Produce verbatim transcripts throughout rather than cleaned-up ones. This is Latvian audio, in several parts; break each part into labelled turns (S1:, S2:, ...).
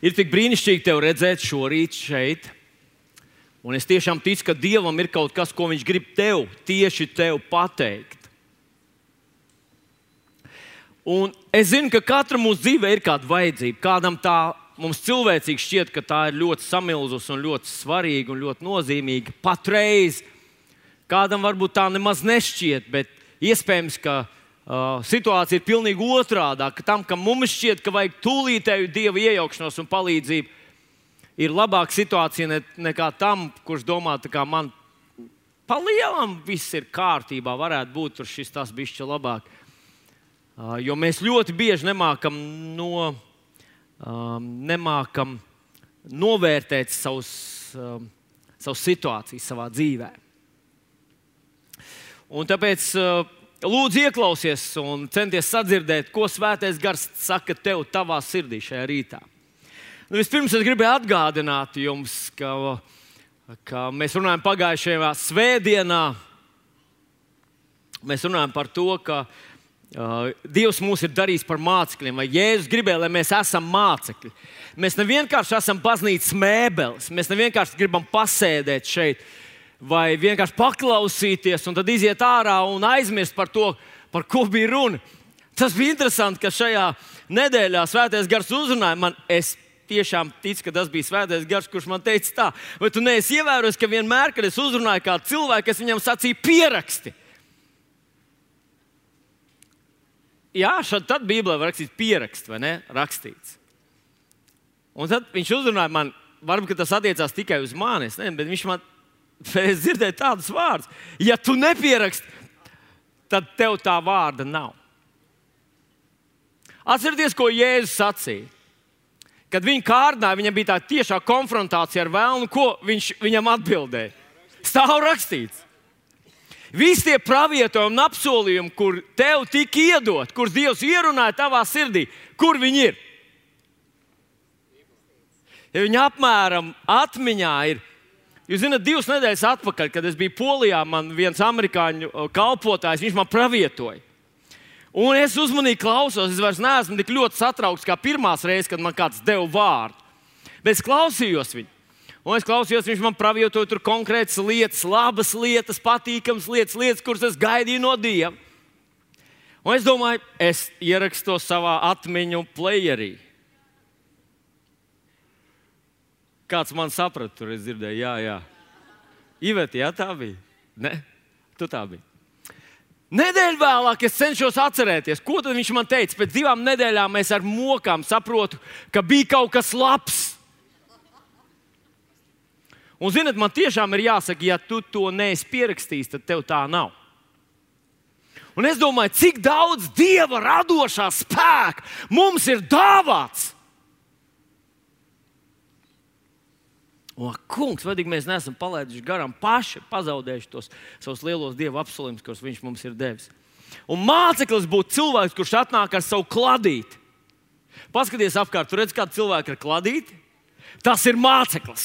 S1: Ir tik brīnišķīgi tevi redzēt šorīt šeit. Un es tiešām ticu, ka Dievam ir kaut kas, ko Viņš grib tev, tieši tev pateikt. Un es zinu, ka katra mūsu dzīvē ir kāda vajadzība. Kādam tā mums cilvēcīgi šķiet, ka tā ir ļoti samilzus un ļoti svarīga un ļoti nozīmīga. Patreiz kādam varbūt tā nemaz nešķiet, bet iespējams, ka uh, situācija ir pilnīgi otrādā. Ka tam, kam mums šķiet, ka vajag tūlītēju Dieva iejaukšanos un palīdzību, ir labāka situācija ne, nekā tam, kurš domā, ka man pa lielam viss ir kārtībā, varētu būt tur šis tas bišķi labāk. Uh, jo mēs ļoti bieži nemākam, no, um, nemākam novērtēt savus, um, savus situācijas savā dzīvē. Un tāpēc uh, lūdzu ieklausies un centies sadzirdēt, ko Svētais Gars saka tev tavā sirdī šajā rītā. Nu, vispirms es gribēju atgādināt jums, ka, ka mēs runājam pagājušajā svētdienā. Mēs runājam par to, ka uh, Dievs mūs ir darījis par mācekļiem, vai Jēzus gribēja, lai mēs esam mācekļi. Mēs ne vienkārši esam baznīcas mēbeles, mēs ne vienkārši gribam pasēdēt šeit, vai vienkārši paklausīties un tad iziet ārā un aizmirst par to, par ko bija runa. Tas bija interesanti, ka šajā nedēļā Svētais Gars uzrunāja man. Es tiešām ticu, ka tas bija Svētais Gars, kurš man teica tā. Vai tu neesi ievērojis, ka vienmēr, kad es uzrunāju kādu cilvēku, es viņam sacīju pieraksti? Jā, šad tad Bībelē var rakstīt pieraksti, vai ne? Rakstīts. Un tad viņš uzrunāja man, varbūt tas attiecās tikai uz mani, es nezinu, bet viņš man, es dzirdēju tādus vārdus. Ja tu nepieraksti, tad tev tā vārda nav. Atcerieties, ko Jēzus sacīja. Kad viņa kārdināja, viņam bija tā tiešā konfrontācija ar vēlnu, ko viņš viņam atbildēja. Stāv rakstīts. Visi tie pravietojumi un apsolījumi, kur tev tika iedot, kurus Dievs ierunāja tavā sirdī, kur viņi ir? Ja viņi apmēram atmiņā ir. Jūs zināt, divas nedēļas atpakaļ, kad es biju Polijā, man viens amerikāņu kalpotājs, viņš man pravietoja. Un es uzmanīgi klausos, es vairs neesmu tik ļoti satraukts kā pirmās reizes, kad man kāds deva vārdu. Bet es klausījos viņu. Un es klausījos, viņš man pravietoja tur konkrētas lietas, labas lietas, patīkamas lietas, lietas, kuras es gaidīju no Dieva. Un es domāju, es ierakstu to savā atmiņu playerī. Kāds man saprata, tur es dzirdēju, jā, jā. Iveti, jā, tā bija? Ne, tu tā biji. Nedēļu vēlāk es cenšos atcerēties, ko tad viņš man teica. Pēc divām nedēļām es ar mokām saprotu, ka bija kaut kas labs. Un, zināt, man tiešām ir jāsaka, ja tu to neesi pierakstījis, tad tev tā nav. Un es domāju, cik daudz Dieva radošā spēka mums ir dāvāts. O, kungs, vadīgi mēs neesam palaiduši garām paši, pazaudējuši tos savus lielos Dieva apsolījumus, kurus viņš mums ir devis. Un māceklis būtu cilvēks, kurš atnāk ar savu kladīti. Paskaties apkārt, tu redz, kādu cilvēku ar kladīti? Tas ir māceklis.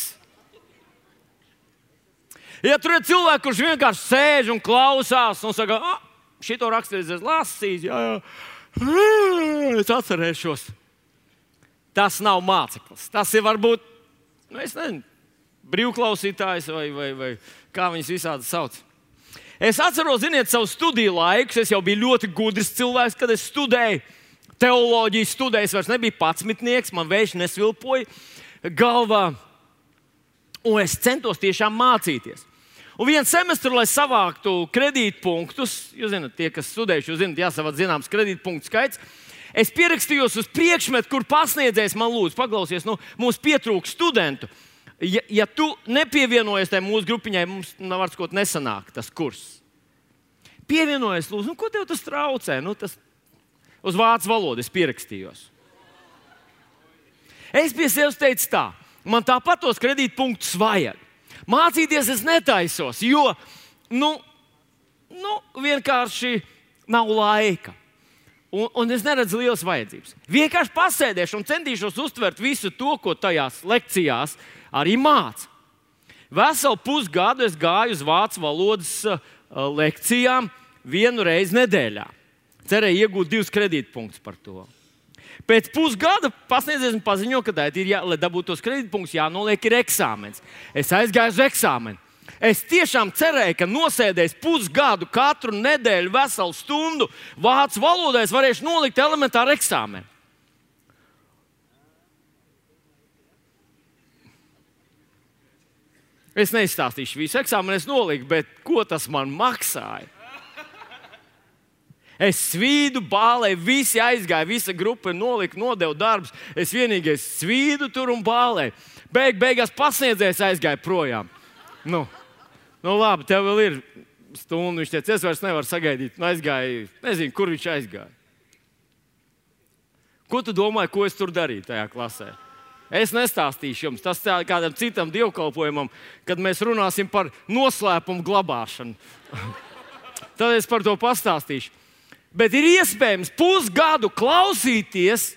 S1: Ja tu redz cilvēku, kurš vienkārši sēž un klausās un saka, ah, šito rakstījis, es lasīju, jā, jā, es atcerēšos. Tas nav māceklis. Tas ir varbūt, nu, es nezinu, brīvklausītājs vai, vai, vai kā viņas visādi sauc. Es atceros, ziniet, savu studiju laikus. Es jau biju ļoti gudrs cilvēks, kad es studēju teoloģiju. Studēju, es vairs nebiju patsmitnieks, man vējš nesvilpoja galvā. Un es centos tiešām mācīties. Un vienu semestru, lai savāktu kredītpunktus, jūs zināt, tie, kas studējuši, jūs zināt, jāsavāc zināms kredītpunktu skaits, es pierakstījos uz priekšmetu, kur pasniedzējs man lūdzu, paklausies, nu, mums pietrūkst studentu. Ja, ja tu nepievienojies tai mūsu grupiņai, mums var sakot nesanāk tas kurs. Pievienojies, lūdzu, nu, ko tev tas traucē? Nu, tas uz vācu valodu es pierakstījos. Es pie sevis teicu tā, man tāpat tos kredītpunktus vajag. Mācīties es netaisos, jo, nu, nu vienkārši nav laika. Un, un es neredzu lielas vajadzības. Vienkārši pasēdēšu un centīšos uztvert visu to, ko tajās lekcijās arī māca. Veselu pusgadu es gāju uz vācu valodas uh, lekcijām vienu reizi nedēļā. Cerēju iegūt divus kredītpunktus par to. Pēc pusgada pasniedzējs man paziņo, ka, ir jā, lai dabūtu tos kredītpunktus, jānoliek ir eksāmens. Es aizgāju uz eksāmenu. Es tiešām cerēju, ka nosēdēs pusgadu, katru nedēļu, veselu stundu vācu valodā, es varēšu nolikt elementāru eksāmenu. Es neizstāstīšu visu eksāmenu, es noliku, bet ko tas man maksāja? Es svīdu, bālēju, visi aizgāja, visa grupa nolika, nodevu darbus. Es vienīgais svīdu tur un bālēju. Beig, beigās pasniedzējs aizgāja projām. Nu, nu labi, tev vēl ir stunda. Viņš teica, es vairs nevaru sagaidīt. Nu, aizgāja, nezinu, kur viņš aizgāja. Ko tu domāji, ko es tur darīju tajā klasē? Es nestāstīšu jums. Tas tā kādam citam dievkalpojumam, kad mēs runāsim par noslēpumu glabāšanu. Tad es par to pastāstīšu. Bet ir iespējams pusgadu klausīties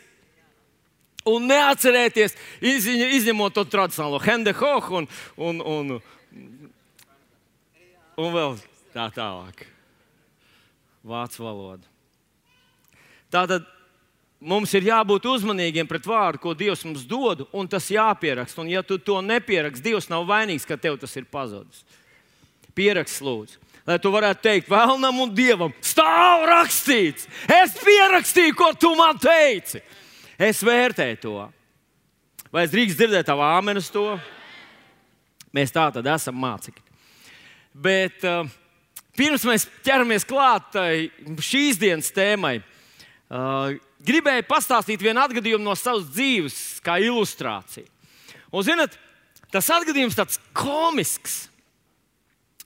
S1: un neatcerēties, izņemot to tradicionālo Hendehohu un, un, un, un vēl tā tālāk. Vācu valoda. Tātad mums ir jābūt uzmanīgiem pret vārdu, ko Dievs mums dod, un tas jāpieraksta. Un ja tu to nepieraksti, Dievs nav vainīgs, ka tev tas ir pazudis. Pieraksti, lūdzu. Lai tu varētu teikt vēlnam un Dievam, stāv rakstīts, es pierakstīju, ko tu man teici. Es vērtēju to. Vai es drīkst dzirdēt tavu āmenu uz to? Mēs tā tad esam mācekļi. Bet uh, pirms mēs ķeramies klāt šīs dienas tēmai, uh, gribēju pastāstīt vienu atgadījumu no savas dzīves, kā ilustrāciju. Un, zināt, tas atgadījums tāds komisks.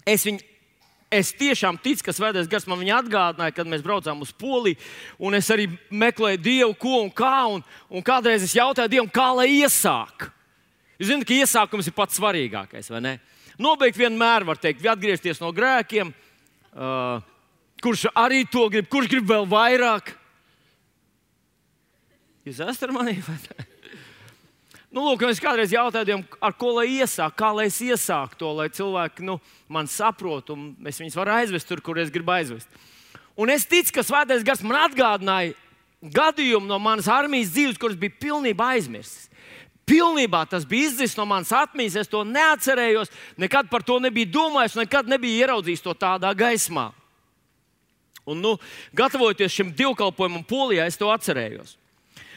S1: Es viņu Es tiešām ticu, ka Svētais Gars man viņa atgādināja, kad mēs braucām uz Poliju. Un es arī meklēju Dievu, ko un kā. Un, un kādreiz es jautāju Dievam, kā lai iesāk. Jūs zināt, ka iesākums ir pats svarīgākais, vai ne? Nobeigt vienmēr var teikt, atgriezties no grēkiem. Uh, kurš arī to grib, kurš grib vēl vairāk? Jūs esat ar mani? Nu, lūk, es kādreiz jautāju Dievam, ar ko lai iesāk, kā lai es iesāku to, lai cilvēki nu, man saprot, un es viņus varu aizvest tur, kur es gribu aizvest. Un es ticu, ka Svētais Gars man atgādināja gadījumu no manas armijas dzīves, kuras bija pilnībā aizmirstas. Pilnībā tas bija izdzis no manas atmiņas, es to neatcerējos, nekad par to nebiju domājis, nekad nebiju ieraudzījis to tādā gaismā. Un, nu, gatavojoties šim dievkalpojumam Polijā, es to atcerējos.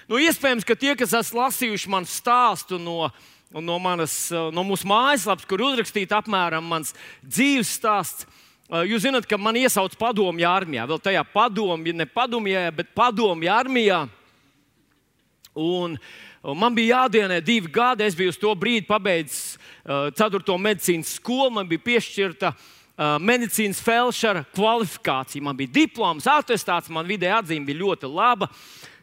S1: Nu, iespējams, ka tie, kas esat lasījuši manu stāstu no, no, manas, no mūsu mājaslapas, kur uzrakstīts apmēram mans dzīves stāsts, jūs zināt, ka man iesauc padomju armijā. Vēl tajā padomju, ne padomjā, bet padomju armijā. Un, un man bija jādienē divi gadi. Es biju uz to brīdi pabeidzis uh, ceturto medicīnas skolu. Man bija piešķirta uh, medicīnas felšera kvalifikācija. Man bija diploms, atestāts, man vidēja atzīme bija ļoti laba.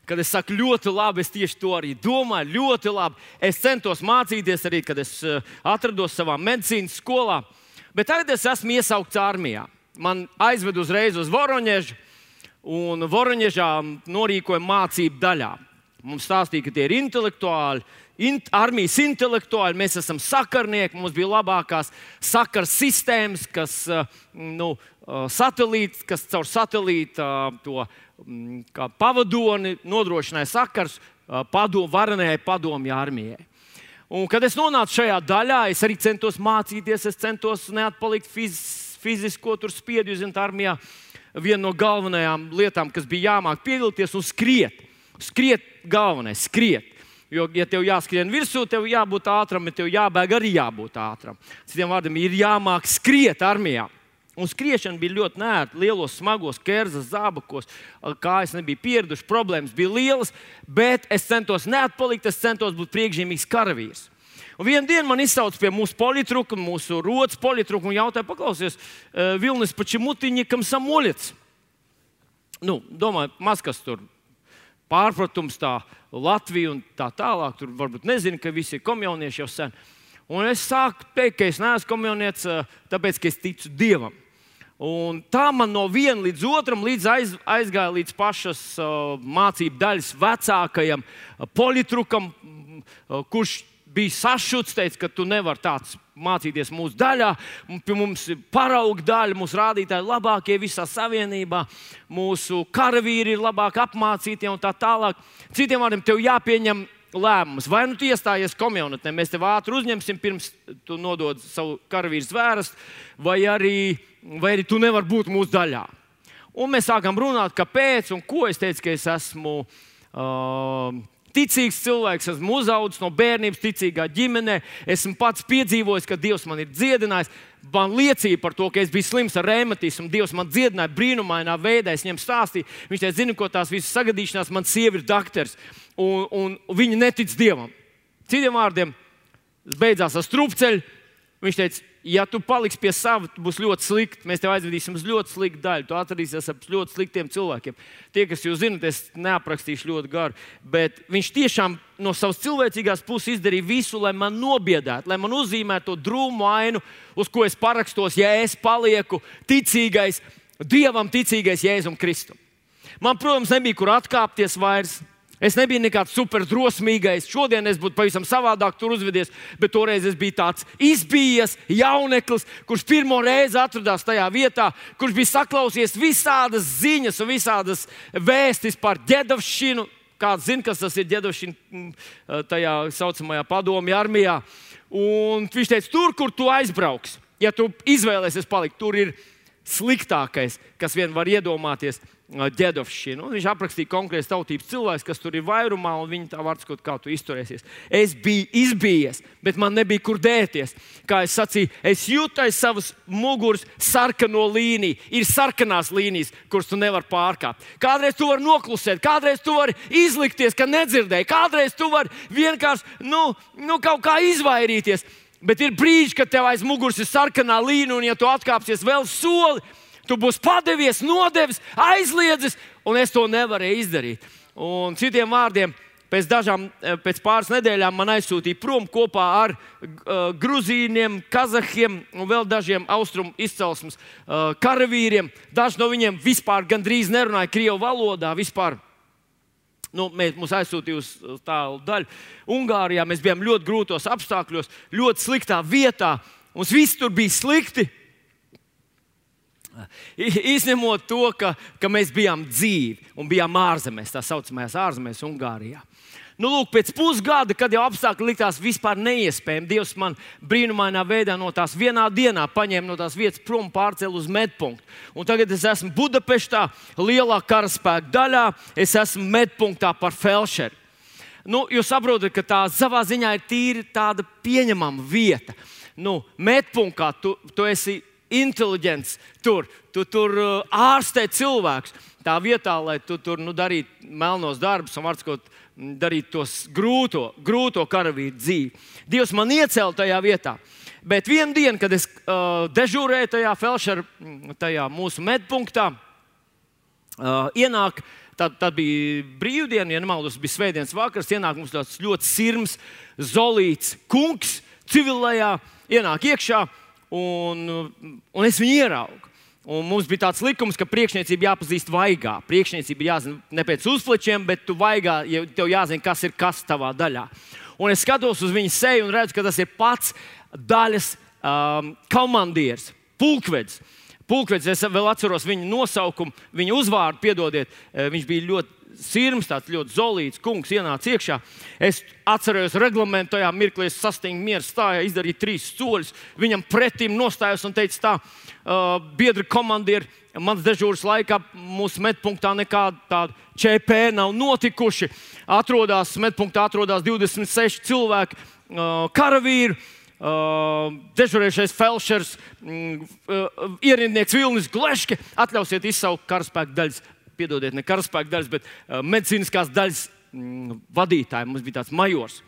S1: Kad es saku ļoti labi, es tieši to arī domāju, ļoti labi. Es centos mācīties arī, kad es atrados savā medicīnas skolā. Bet tagad es esmu iesaukts armijā. Man aizved uzreiz uz Voroņežu, un Voroņežā norīkoja mācību daļā. Mums stāstīja, ka tie ir intelektuāli, int, armijas intelektuāli, mēs esam sakarnieki, mums bija labākās sakars sistēmas, kas, nu, satelīts, kas caur satelīta to kā pavadoni nodrošināja sakars padom, varenējai padomju armijai. Un, kad es nonācu šajā daļā, es arī centos mācīties, es centos neatpalikt fiz, fizisko tur spiedu, jūs zināt, armijā viena no galvenajām lietām, kas bija jāmāk piedalīties un skriet. Skriet galvenais, skriet. Jo, ja tev jāskrien virsū, tev jābūt ātram, ja tev jābēg, arī jābūt ātram. Citiem vārdiem ir jāmāk skriet armijā. Un skriešana bija ļoti nērta, lielos, smagos, kerzas, zābakos, kājas nebija pieraduši, problēmas bija lielas, bet es centos neatpalikt, es centos būt priekšzīmīgs karavīrs. Un vienu dienu man izsauca pie mūsu politruka, mūsu rotas politruka un jautāja, paklausies, Vilnis Pačimutiņikam samolets. Nu, domāju, maz kas tur pārpratums tā Latvija un tā tālāk, tur varbūt nezinu, ka visi ir komjaunieši jau sen. Un es sāku teikt, ka es neesmu komjaunietis, tāpēc, ka es ticu Dievam. Un tā man no viena līdz otram līdz aiz, aizgāja līdz pašas uh, mācību daļas vecākajam uh, politrukam, uh, kurš bija sašuts, teica, ka tu nevari tāds mācīties mūsu daļā. Pie mums ir parauga daļa, mūsu rādītāji labākie visā savienībā, mūsu karavīri ir labāk apmācītie un tā tālāk. Citiem vārdiem, tev jāpieņem lēmums. Vai nu tu iestājies komunitē, mēs tev ātri uzņemsim, pirms tu nodod savu karavīru zvērestu, vai arī, vai arī tu nevari būt mūsu daļā. Un mēs sākam runāt, kāpēc un ko. Es teicu, ka es esmu uh, ticīgs cilvēks, esmu uzaudzis no bērnības ticīgā ģimenē. Esmu pats piedzīvojis, ka Dievs man ir dziedinājis. Man liecīja par to, ka es biju slims ar reumatismu. Dievs man dziedināja brīnumainā veidā. Es viņam stāstīju, viņš teica, zini, ko tās visas sagadīšanās, man sieva ir dakters. Un, un viņi netic Dievam. Citiem vārdiem, beidzās ar strupceļu. Viņš teica, ja tu paliksi pie sava, tu būsi ļoti slikti. Mēs tev aizvedīsim uz ļoti sliktu daļu. Tu atradīsies ar ļoti sliktiem cilvēkiem. Tie, kas jūs zinat, es neaprakstīšu ļoti garu. Bet viņš tiešām no savas cilvēcīgās puses izdarīja visu, lai man nobiedētu, lai man uzzīmētu to drūmu ainu, uz ko es parakstos, ja es palieku ticīgais, Dievam ticīgais Jēzum Kristum. Man, protams, nebija kur atkāpties vairs. Es nebiju nekāds superdrosmīgais. Šodien es būtu pavisam savādāk tur uzvedies, bet toreiz es biju tāds izbijies jauneklis, kurš pirmo reizi atradās tajā vietā, kurš bija saklausījies visādas ziņas un visādas vēstis par ģedavšanu. Kāds zina, kas tas ir ģedavšana tajā saucamajā padomju armijā. Un viņš teica, tur, kur tu aizbrauks, ja tu izvēlēsies palikt, tur ir sliktākais, kas vien var iedomāties, ģedavšana. Viņš aprakstīja konkrētas tautības cilvēks, kas tur ir vairumā, un viņi tā vārds kaut kā tu izturēsies. Es biju izbijies, bet man nebija kur dēties. Kā es sacīju, es jūtu aiz savas muguras sarkano līniju. Ir sarkanās līnijas, kuras tu nevari pārkāpt. Kādreiz tu vari noklusēt, kādreiz tu vari izlikties, ka nedzirdēji, kādreiz tu vari vienkārši nu, nu, kaut kā izvairīties. Bet ir brīži, kad tev aiz muguras ir sarkanā līnija, un ja tu atkāpsies vēl soli, tu būsi padevies, nodevis, aizliedzis, un es to nevarēju izdarīt. Un citiem vārdiem, pēc, dažām, pēc pāris nedēļām man aizsūtīja prom kopā ar uh, gruzīniem, kazahiem un vēl dažiem austrumu izcelsmes uh, karavīriem. Daži no viņiem vispār gandrīz nerunāja krievu valodā. Vispār. Nu, mēs mūs aizsūtīja uz tālu daļu. Ungārijā mēs bijām ļoti grūtos apstākļos, ļoti sliktā vietā. Mums viss tur bija slikti. Izņemot to, ka, ka mēs bijām dzīvi un bijām ārzemēs, tā saucamajās ārzemēs, Ungārijā. Nu, lūk, pēc pusgada, kad jau apstākļi likās vispār neiespējami, Dievs man brīnumainā veidā no tās vienā dienā paņēma no tās vietas prom, pārcēla uz medpunktu. Un tagad es esmu Budapeštā, lielā karaspēka daļā, es esmu medpunktā par felšeri. Nu, jūs saprotat, ka tā savā ziņā ir tīri tāda pieņemama vieta. Nu, medpunktā tu, tu esi inteliģents tur, tu tur ārstē cilvēkus. Tā vietā, lai tu tur nu, darītu melnos darbus un varbūt darītu tos grūto, grūto karavīru dzīvi. Dievs man iecēla tajā vietā. Bet vienu dienu, kad es uh, dežūrēju tajā felšera, tajā mūsu medpunktā, uh, ienāk, tad, tad bija brīvdiena, ja nemaldos, bija svētdienas vakars, ienāk mums tāds ļoti sirms, zolīts kungs civilajā, ienāk iekšā. Un, un es viņu ieraugu. Un mums bija tāds likums, ka priekšniecība jāpazīst vaigā. Priekšniecība ir jāzina ne pēc uzplečiem, bet tu vaigā, ja tev jāzina, kas ir kas tavā daļā. Un es skatos uz viņa seju un redzu, ka tas ir pats daļas um, komandieris, pulkvedis. Pulkvedis, es vēl atceros viņa nosaukumu, viņa uzvārdu, piedodiet, viņš bija ļoti sirms, tāds ļoti zolīts kungs, ienāca iekšā. Es atceros reglamentu, tajā mirklī es sastingu mieru stājā, izdarīju trīs soļus. Viņam pretim nostājos un teicu tā, uh, biedri komandieri, mans dežūras laikā mūsu medpunktā nekāda tāda Č P nav notikuši. Atrodās, medpunktā atrodās divdesmit seši cilvēki, uh, karavīri, uh, dežurējušais felšers, mm, uh, ierindnieks Vilnis Gleške. Atļausiet izsaukt karaspēka daļas. Piedodiet, ne karaspēka daļas, bet uh, medicīniskās daļas mm, vadītāji. Mums bija tāds majors.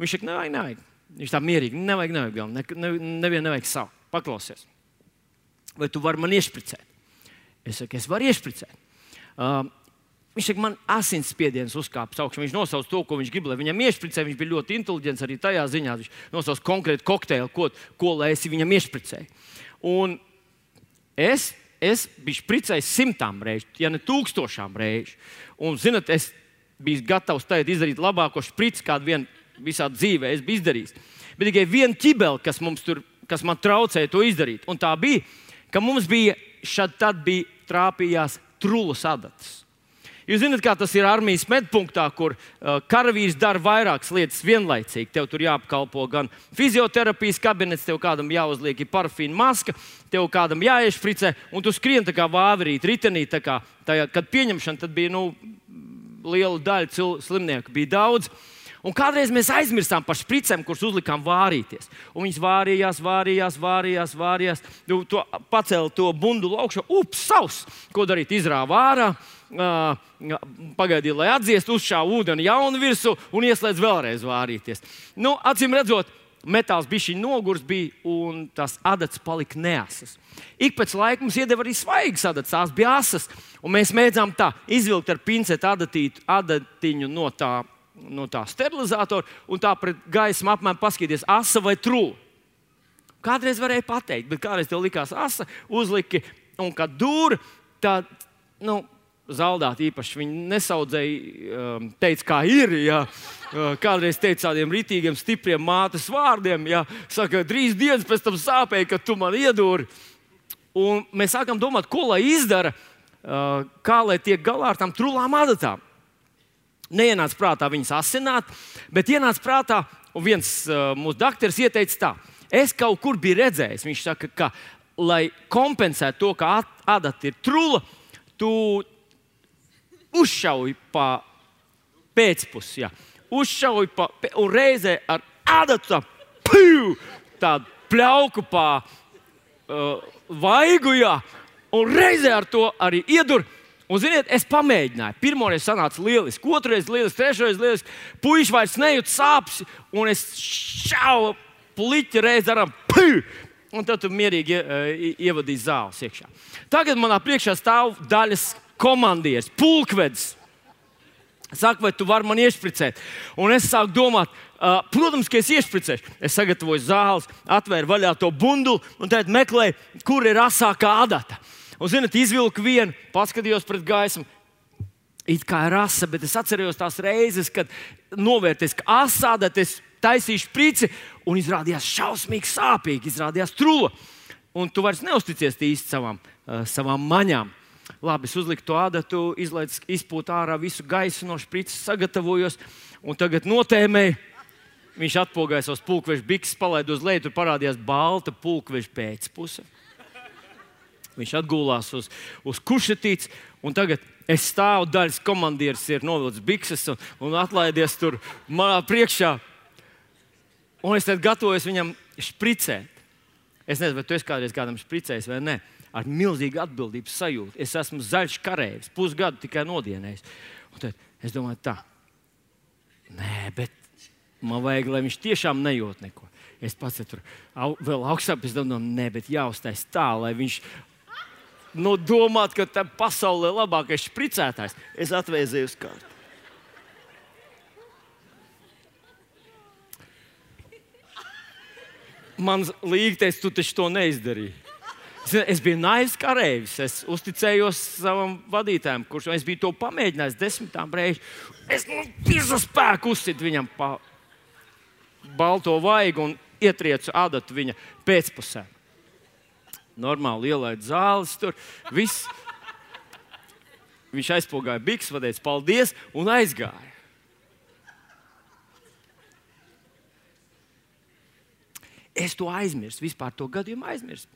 S1: Viņš saka, nevajag, nevajag. Viņš tā mierīgi, nevajag, nevajag, ne, ne, nevienu nevajag savu. Paklausies. Vai tu vari man iešpricēt? Es saku, es varu iešpricēt. Uh, viņš saka, man asinsspiediens uzkāpis augšā. Viņš nosauc to, ko viņš grib, lai viņam iešpricē. Viņš bija ļoti inteliģents arī tajā ziņā. Viņš nosauc konkrētu kokteili, ko, ko lai es viņam iešpricēju. Un es... Es biju špricējis simtām reižu, ja ne tūkstošām reižu. Un, zinat, es biju gatavs tagad izdarīt labāko šprici, kādu vien visā dzīvē es biju izdarījis. Bet tikai viena ķibele, kas, tur, kas man traucēja to izdarīt. Un tā bija, ka mums bija šad tad bija trāpījās trullas adatas. Jūs zināt, kā tas ir armijas medpunktā, kur uh, karavīrs dara vairākas lietas vienlaicīgi. Tev tur jāapkalpo gan fizioterapijas kabinets, tev kādam jāuzliek parafīna maska, tev kādam jāiešpricē, un tu skrien tā kā vāverīt, ritenī. Tā kā, tajā, kad pieņemšana, tad bija nu, liela daļa cil, slimnieku, bija daudz. Un kādreiz mēs aizmirstām par špricēm, kuras uzlikām vārīties. Un viņas vārījās, vārījās, vārījās, vārījās. Tu to pacēli to bundulu augšā, ups, savs. Ko darīt? Izrāva ārā, uh, pagaidīja, lai atdziest, uzšāva ūdeni jaunu virsū un ieslēdz vēlreiz vārīties. Nu, acīm redzot, metāls bišķiņ nogurs bija un tās adatas palika neasas. Ik pēc laika mums iedeva arī svaigas adatas, tās bija asas. Un mēs mēdzām tā izvilkt ar pinceti adatītu, adatiņu no tā. no tā sterilizatora un tā pret gaismu apmēram paskatīties, asa vai trula. Kādreiz varēja pateikt, bet kādreiz tev likās asa, uzliki, un kad dūra, tā, nu, zaldāt īpaši viņi nesaudzēja, teica, kā ir, jā. Kādreiz teica tādiem ritīgiem, stipriem mātes vārdiem, jā. Saka, trīs dienas pēc tam sāpēja, kad tu man iedūri. Un mēs sākam domāt, ko lai izdara, kā lai tiek galā ar tām trulām adatām. Neienāca prātā viņas asināt, bet ienāca prātā, un viens uh, mūsu dakteris ieteica tā. Es kaut kur biju redzējis, viņš saka, ka, lai kompensētu to, ka adata ir trula, tu uzšauj pa pēcpusi, jā. Uzšauj pa, un reizē ar adatu tā, piu, tādu pļauku pa uh, vaigu, jā, un reizē ar to arī iedur. Un, ziniet, es pamēģināju. Pirmoreiz sanāca lieliski, otrreiz lieliski, trešreiz lieliski. Puiši vairs nejūt sāpes, un es šauju puliķi reiz aram, pū! Un tad tu mierīgi ievadīji zāles iekšā. Tagad manā priekšā stāv daļas komandieris, pulkvedis. Saka, vai tu vari man iešpricēt? Un es sāku domāt, uh, protams, ka es iešpricēšu. Es sagatavoju zāles, atvēru vaļā to bundulu un tad meklēju, kur ir asākā adata. Un, zināt, izvilku vienu, paskatījos pret gaismu. It kā ir asa, bet es atceros tās reizes, kad novērties, ka asāda, es taisīju šprici un izrādījās šausmīgi sāpīgi, izrādījās trula. Un tu vairs neusticies īsti savām, uh, savām maņām. Labi, es uzliku to adatu, izlaidu, izpūtu ārā visu gaisu no šprices, sagatavojos un tagad notēmēju. Viņš atpogāja savus pulkveža bikses, palaida uz leju, tur parādījās balta pulkveža pēcpuse. Viņš atgulās uz, uz kušetītes, un tagad es stāvu, daļas komandieris ir novilcis bikses un, un atlaidies tur manā priekšā. Un es tad gatavojos viņam špricēt. Es nezinu, vai tu esi kādreiz kādam špricējis vai ne. Ar milzīgu atbildības sajūtu. Es esmu zaļš kareivis, pusgadu tikai nodienējis. Un tad es domāju tā, nē, bet man vajag, lai viņš tiešām nejūt neko. Es pats tur au, vēl augstāk, es domāju, nē, bet jāuztais tā, lai viņš nu, domāt, ka tā pasaulē labākais špricētājs. Es atvēzēju uz kārtu. Man līgtais, tu taču to neizdarīji. Es biju naivs kareivis. Es uzticējos savam vadītājam, kurš es biju to pamēģinājis desmitām reizi. Es nu visu spēku uzsitu viņam pa balto vaigu un ietriecu adatu viņa pēcpusē. Normāli ielaid zāles tur. Viss. Viņš aizpogāja bikses, pateica paldies un aizgāja. Es to aizmirstu, vispār to gadījumu aizmirstu.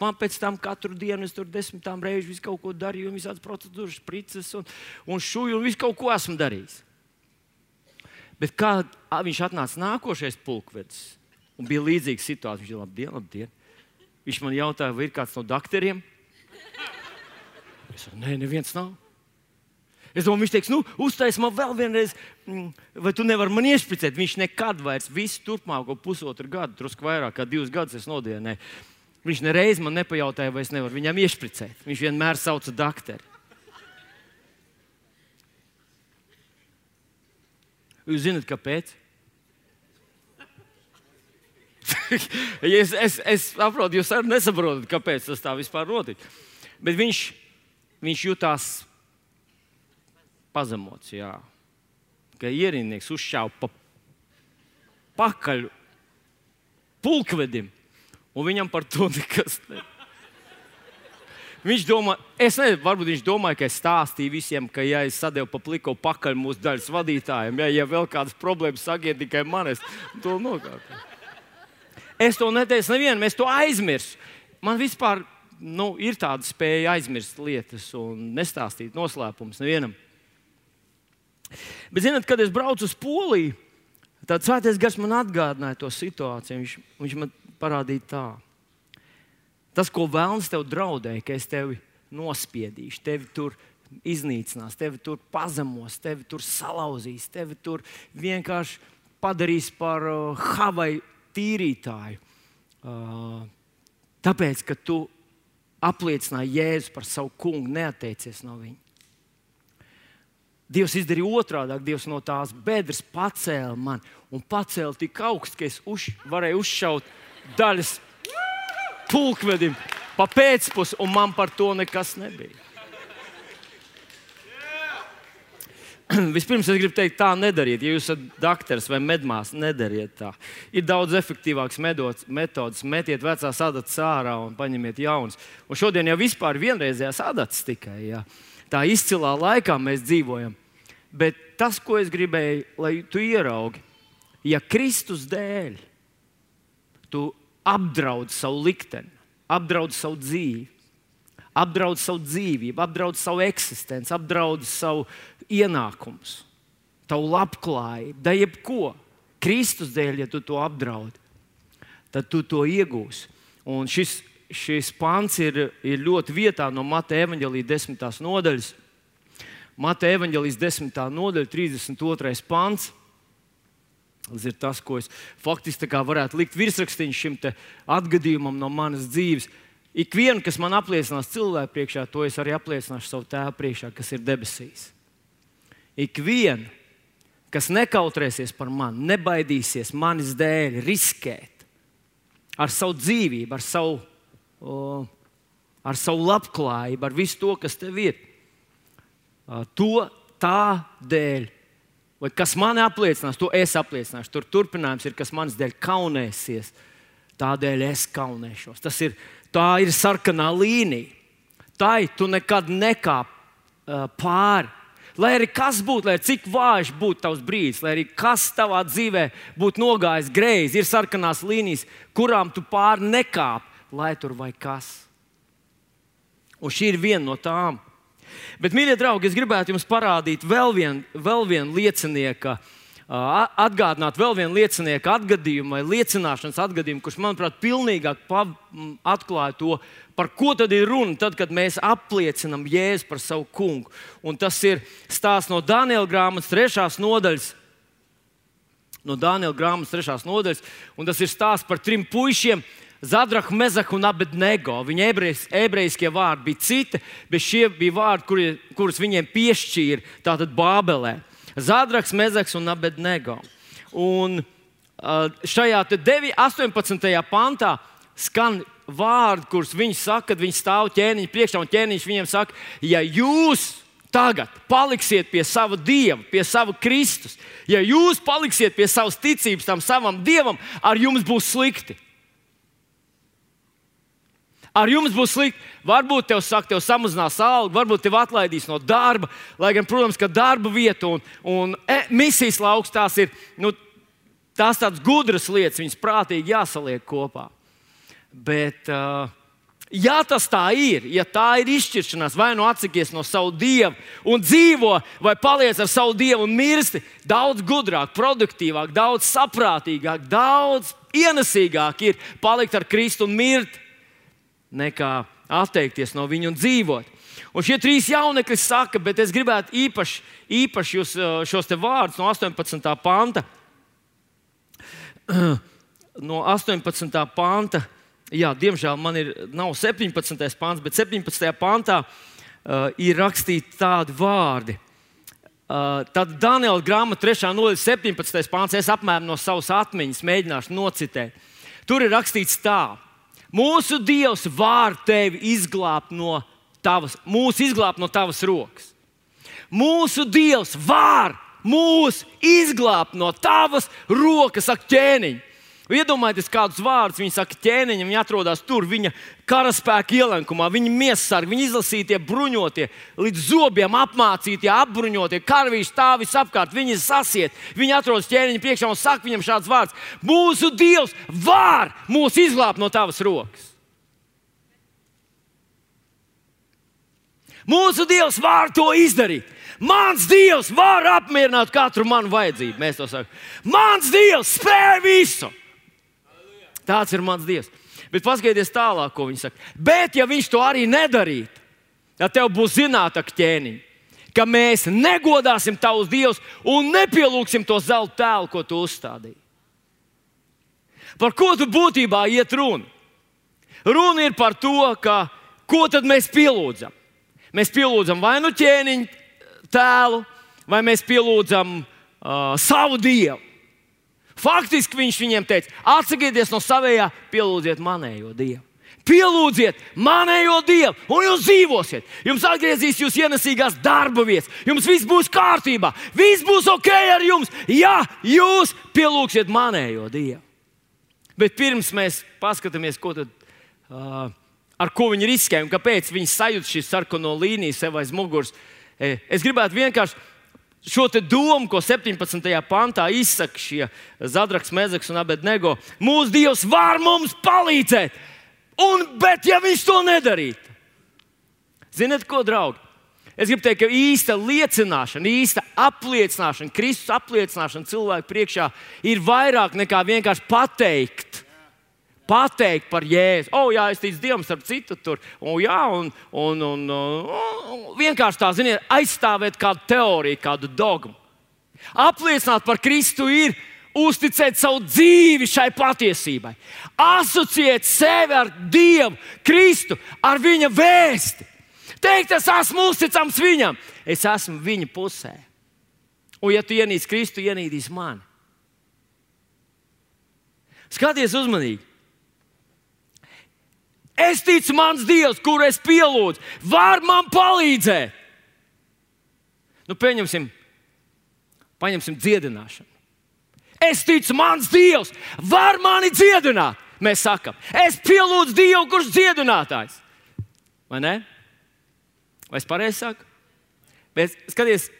S1: Man pēc tam katru dienu es tur desmitām reizi visu kaut ko darīju, un visādas procedūras, sprices un, un šuju, un visu kaut ko esmu darījis. Bet kā viņš atnāca nākošais pulkvedis, un bija līdzīga situācija, viņš ir labdien, labdien. Viņš man jautāja, vai ir kāds no dakteriem? Es saku, nē, neviens nav. Es domāju, viņš teiks, nu, uztais man vēl vienreiz, vai tu nevari man iešpricēt? Viņš nekad vairs visu turpmāko pusotru gadu, drusku vairāk kā divus gadus es nodienēju. Viņš nereiz man nepajautāja, vai es nevaru viņam iešpricēt. Viņš vienmēr sauca dakteri. Jūs zināt, kāpēc? es, es, es saprotu, jūs arī nesaprotat, kāpēc tas tā vispār notika. Bet viņš, viņš jutās pazemots, jā. Ka ierindnieks uzšāva pa pakaļ pulkvedim, un viņam par to nekas ne. Viņš domā, es nezinu, varbūt viņš domāja, ka es stāstīju visiem, ka ja es sadevu pa pliko pakaļ mūsu daļas vadītājiem, ja, ja vēl kādas problēmas sagiet tikai man, es to nokāpu. Es to neteicu nevienam, es to aizmirsu. Man vispār nu, ir tāda spēja aizmirst lietas un nestāstīt noslēpumus nevienam. Bet, zināt, kad es braucu uz Poliju, tad Svētais Gars man atgādināja to situāciju. Viņš, viņš man parādīja tā. Tas, ko Velns tev draudēja, ka es tevi nospiedīšu, tevi tur iznīcinās, tevi tur pazemos, tevi tur salauzīs, tevi tur vienkārši padarīs par uh, Havaju tīrītāju. Uh, tāpēc, ka tu apliecināji Jēzu par savu kungu, neatteicies no viņa. Dievs izdarīja otrādāk. Dievs no tās bedres pacēla mani un pacēla tik augstu, ka es uz, varēju uzšaut daļas pulkvedim pa pēcpusi, un man par to nekas nebija. Vispirms es gribu teikt, tā nedariet. Ja jūs esat dakteris vai medmās, nedariet tā. Ir daudz efektīvāks metodas. Metiet vecās adatas ārā un paņemiet jaunas. Un šodien jau vispār vienreizējās adatas tikai. Jā. Tā izcilā laikā mēs dzīvojam. Bet tas, ko es gribēju, lai tu ieraugi, ja Kristus dēļ tu apdraud savu likteni, apdraud savu dzīvi, apdraud savu dzīvību, apdraud savu eksistenci, apdraud savu ienākumus, tavu labklājību, da jebko. Kristus dēļ, ja tu to apdraudi, tad tu to iegūsi. Un šis, šis pants ir, ir ļoti vietā no Mateja evaņģēlija desmitās nodaļas. Mateja evaņģēlijas desmitā nodaļa, trīsdesmit otrais pants. Tas ir tas, ko es faktiski varētu likt virsrakstīņu šim te atgadījumam no manas dzīves. Ikvienu, kas man apliecinās cilvēku priekšā, to es arī apliecināšu savu Tēvu priekšā, kas ir debesīs. Ikvienu, kas nekautrēsies par mani, nebaidīsies manis dēļ riskēt ar savu dzīvību, ar savu, o, ar savu labklājību, ar visu to, kas tev ir, to tā dēļ. Vai kas mani apliecinās, to es apliecināšu. Tur turpinājums ir, kas manis dēļ kaunēsies, tādēļ es kaunēšos. Tas ir, tā ir sarkanā līnija. Tai tu nekad nekāp uh, pāri. Lai arī kas būtu, lai cik vājš būtu tavs brīdis, lai arī kas tavā dzīvē būtu nogājis greizi, ir sarkanās līnijas, kurām tu pāri nekāp, lai tur vai kas. Un šī ir viena no tām. Bet, mīļie draugi, es gribētu jums parādīt vēl vienu, vēl vienu liecinieka, atgādināt vēl vienu liecinieka atgadījumu vai liecināšanas atgadījumu, kurš, manuprāt, pilnīgāk atklāja to, par ko tad ir runa, tad, kad mēs apliecinam Jēzu par savu kungu. Un tas ir stāsts no Daniela grāmatas trešās nodaļas. No Daniela grāmatas trešās nodaļas. Un tas ir stāsts par trim puišiem, Zadrahu, Mezahu un Abednego. Viņa ebrejas, ebrejiskie vārdi bija citi, bet šie bija vārdi, kuri, kurus viņiem piešķīra tātad Bābelē. Zadrahs, Mezahs un Abednego. Un šajā astoņpadsmitajā pantā skan vārdi, kurus viņi saka, kad viņi stāv ķēniņa priekšā, un ķēniņš viņiem saka, ja jūs tagad paliksiet pie sava Dieva, pie sava Kristus, ja jūs paliksiet pie savas ticības tam savam Dievam, ar jums būs slikti. Ar jums būs slikti. Varbūt tev saka, tev samazinās algu, varbūt tev atlaidīs no darba. Lai gan, protams, ka darba vieta un, un e, misijas lauks tās ir nu, tās tādas gudras lietas, viņas prātīgi jāsaliek kopā. Bet, uh, ja tas tā ir, ja tā ir izšķiršanās, vai nu atsakies no savu Dievu un dzīvo, vai paliec ar savu Dievu un mirsti, daudz gudrāk, produktīvāk, daudz saprātīgāk, daudz ienesīgāk ir palikt ar Kristu un mirt, nekā atteikties no viņa un dzīvot. Un šie trīs jaunekļi saka, bet es gribētu īpaši, īpaši jūs, šos te vārdus no astoņpadsmitā panta. No astoņpadsmitā panta, jā, diemžēl man ir, nav septiņpadsmitais pants, bet septiņpadsmitajā pantā uh, ir rakstīti tādi vārdi. Uh, tad Daniela grāmata trešā nodaļa septiņpadsmitais pants, es apmēram no savas atmiņas mēģināšu nocitēt. Tur ir rakstīts tā. Mūsu Dievs var tevi izglābt no tavas, mūs izglābt no tavas rokas. Mūsu Dievs var mūs izglābt no tavas rokas, saka ķēniņ. Iedomājieties, kādus vārdus viņi saka ķēniņam, viņi atrodas tur, viņa karaspēka ielenkumā, viņa miesasargi, viņa izlasītie bruņotie, līdz zobiem apmācītie, apbruņotie, karavīri stāv visapkārt, viņi sasiet, viņi atrodas ķēniņa priekšā un saka viņam šāds vārds: mūsu Dievs var mūs izglābt no tavas rokas. Mūsu Dievs var to izdarīt. Mans Dievs var apmierināt katru manu vajadzību. Mēs to sakām. Mans Dievs spēj visu. Tāds ir mans Dievs. Bet paskatieties tālāk, ko viņš saka. Bet ja viņš to arī nedarītu, tad tev būs zināt, ak ķēniņ, ka mēs negodāsim tavus dievus un nepielūgsim to zelta tēlu, ko tu uzstādīji. Par ko tu būtībā iet runa? Runa ir par to, ka ko tad mēs pielūdzam? Mēs pielūdzam vai nu ķēniņa tēlu, vai mēs pielūdzam uh, savu dievu. Faktiski viņš viņiem teica: atsakieties no savējā, pielūdziet manējo dievu. Pielūdziet manējo dievu, un jūs dzīvosiet. Jums atgriezīs jūs ienesīgās darba vietas. Jums viss būs kārtībā, viss būs ok ar jums, ja jūs pielūgsiet manējo dievu. Bet pirms mēs paskatāmies, ko tad, uh, ar ko viņi riskē un kāpēc viņi sajūt šīs sarkano līniju sev aiz muguras, es gribētu vienkārši šo te domu, ko septiņpadsmitajā pantā izsaka šie Zadraks, Mezaks un Abednego. Mūsu Dievs var mums palīdzēt, un, bet ja viņš to nedarītu. Ziniet ko, draugi? Es gribu teikt, ka īsta liecināšana, īsta apliecināšana, Kristus apliecināšana cilvēku priekšā ir vairāk nekā vienkārši pateikt. Pateikt par Jēzu. O, jā, es ticu Dievam, starp citu tur. O, jā, un, un, un, un vienkārši tā, ziniet, aizstāvēt kādu teoriju, kādu dogmu. Apliecināt par Kristu ir uzticēt savu dzīvi šai patiesībai. Asociēt sevi ar Dievu, Kristu, ar viņa vēsti. Teikt, es esmu uzticams viņam. Es esmu viņa pusē. Un ja tu ienīc Kristu, ienīdīs mani. Skaties uzmanīgi. Es ticu, mans Dievs, kuru es pielūdzu, var man palīdzēt. Nu, pieņemsim, paņemsim dziedināšanu. Es ticu, mans Dievs var mani dziedināt. Mēs sakam, es pielūdzu Dievu, kurš dziedinātājs. Vai ne? Vai es pareizi saku? Bet skaties,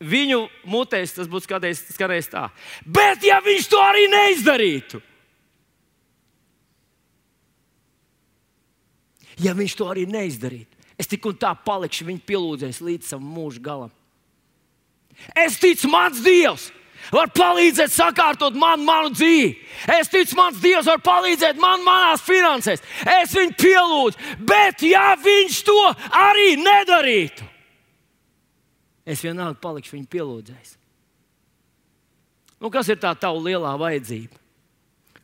S1: viņu mutēs tas būtu skaties, skaties tā. Bet ja viņš to arī neizdarītu, ja viņš to arī neizdarītu, es tik un tā palikšu viņa pielūdzējis līdz savam mūža galam. Es ticu, mans Dievs var palīdzēt sakārtot man, manu dzīvi. Es ticu, mans Dievs var palīdzēt man manās finansēs. Es viņu pielūdzu, bet ja viņš to arī nedarītu, es vienalga palikšu viņu pielūdzējis. Nu, kas ir tā tava lielā vajadzība?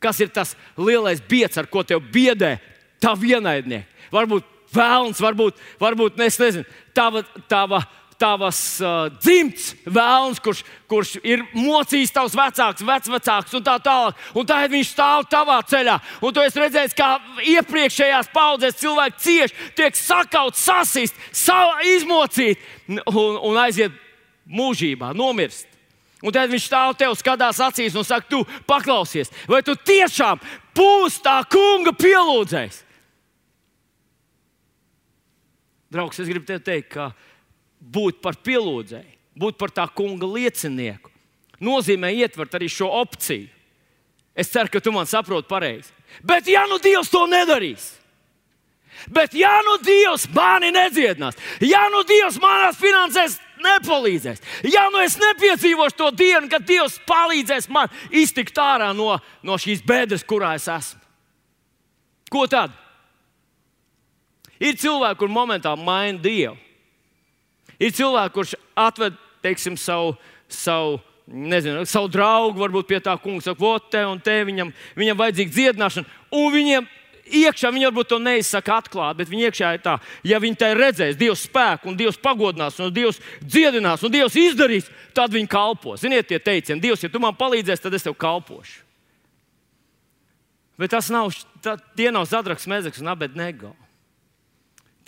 S1: Kas ir tas lielais bieds, ar ko tev biedē tavi ienaidnieki? Varbūt vēlns, varbūt, varbūt es nezinu, tava, tava, tavas uh, dzimts vēlns, kurš, kurš ir mocījis tavs vecāks, vecvecāks un tā tālāk. Un tagad viņš stāv tavā ceļā. Un tu esi redzējis, kā iepriekšējās paudzēs cilvēki cieši, tiek sakaut, sasist, izmocīt un, un aiziet mūžībā, nomirst. Un tad viņš stāv tev, skatās acīs un saka, tu paklausies, vai tu tiešām būsi tā kunga pielūdzējs? Draugs, es gribu tev teikt, ka būt par pielūdzēju, būt par tā kunga liecinieku, nozīmē ietvert arī šo opciju. Es ceru, ka tu man saproti pareizi. Bet ja nu Dievs to nedarīs, bet ja nu Dievs mani nedziedinās, ja nu Dievs manās finansēs nepalīdzēs, ja nu es nepiedzīvošu to dienu, kad Dievs palīdzēs man iztikt ārā no, no šīs bedres, kurā es esmu. Ko tad? Ir cilvēki, kur momentā maina Dievu. Ir cilvēki, kurš atved, teiksim, savu, savu, nezinu, savu draugu, varbūt pie tā kunga saka, vot te un te, viņam, viņam vajadzīga dziedināšana, un viņiem iekšā, viņi varbūt to neizsaka atklāt, bet viņi iekšā ir tā, ja viņi tai redzēs Dievs spēku, un Dievs pagodinās, un Dievs dziedinās, un Dievs izdarīs, tad viņi kalpos. Ziniet tie teicieni, Dievs, ja tu man palīdzēsi, tad es tev kalpošu. Bet tas nav, tā, tie nav Zadraks, Mezaks un Abednego.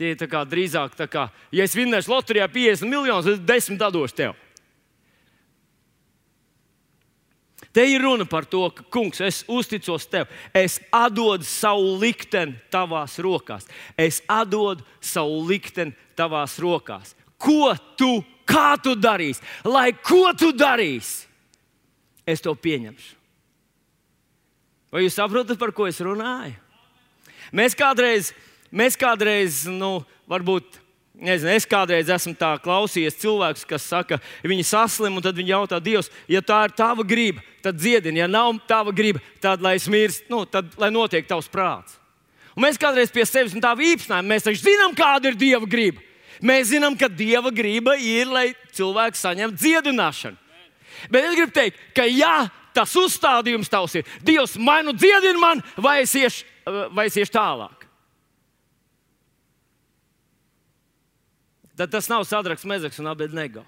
S1: Tie ir tā kā, drīzāk tā kā, ja es vinnēšu loterijā piecdesmit miljonus, es desmit došu tev. Te ir runa par to, ka, kungs, es uzticos tev, es atdodu savu likteni tavās rokās. Es atdodu savu likteni tavās rokās. Ko tu, kā tu darīsi, lai ko tu darīsi, es to pieņemšu. Vai jūs saprotat, par ko es runāju? Mēs kādreiz, mēs kādreiz, nu, varbūt, nezinu, es kādreiz esmu tā klausījies cilvēkus, kas saka, viņi saslim, un tad viņi jautā Dievs, ja tā ir tava griba, tad dziedini, ja nav tava griba, tad lai es mirst, nu, tad lai notiek tavs prāts. Un mēs kādreiz pie sevis un tā vīpsnājam, mēs taču zinām, kāda ir Dieva griba. Mēs zinām, ka Dieva griba ir, lai cilvēks saņemtu dziedināšanu. Bet es gribu teikt, ka ja tas uzstādījums tavs ir, Dievs vai nu dziedina man, vai es iešu, vai es iešu tālāk. Tad tas nav Sadraks, Mezaks un Abednego.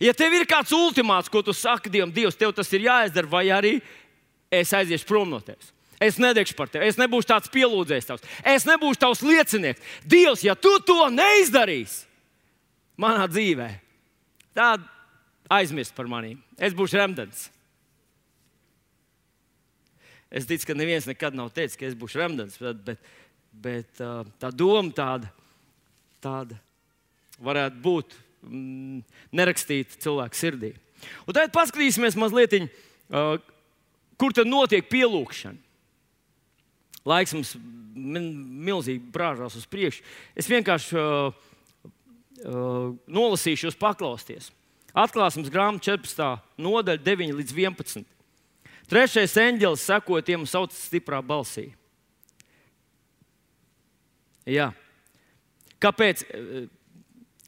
S1: Ja tev ir kāds ultimāts, ko tu saki Dievam, Dievs, tev tas ir jāizdara, vai arī es aiziešu prom no tevis. Es nedegšu par tevi, es nebūšu tāds pielūdzējs tavs, es nebūšu tavs liecinieks. Dievs, ja tu to neizdarīsi manā dzīvē, tad aizmirst par manīm. Es būšu remdens. Es ticu, ka neviens nekad nav teicis, ka es būšu remdens, bet, bet, bet tā doma tāda, tāda varētu būt mm, nerakstīta cilvēka sirdī. Un tad paskatīsimies mazliet, uh, kur tad notiek pielūgšana. Laiks mums milzīgi brāžās uz priekšu. Es vienkārši uh, uh, nolasīšu, jūs paklausties. Atklāsmes grāmata četrpadsmitā nodaļa deviņi līdz vienpadsmit. Trešais eņģelis sekoja tiem un sauca stiprā balsī. Jā. Kāpēc?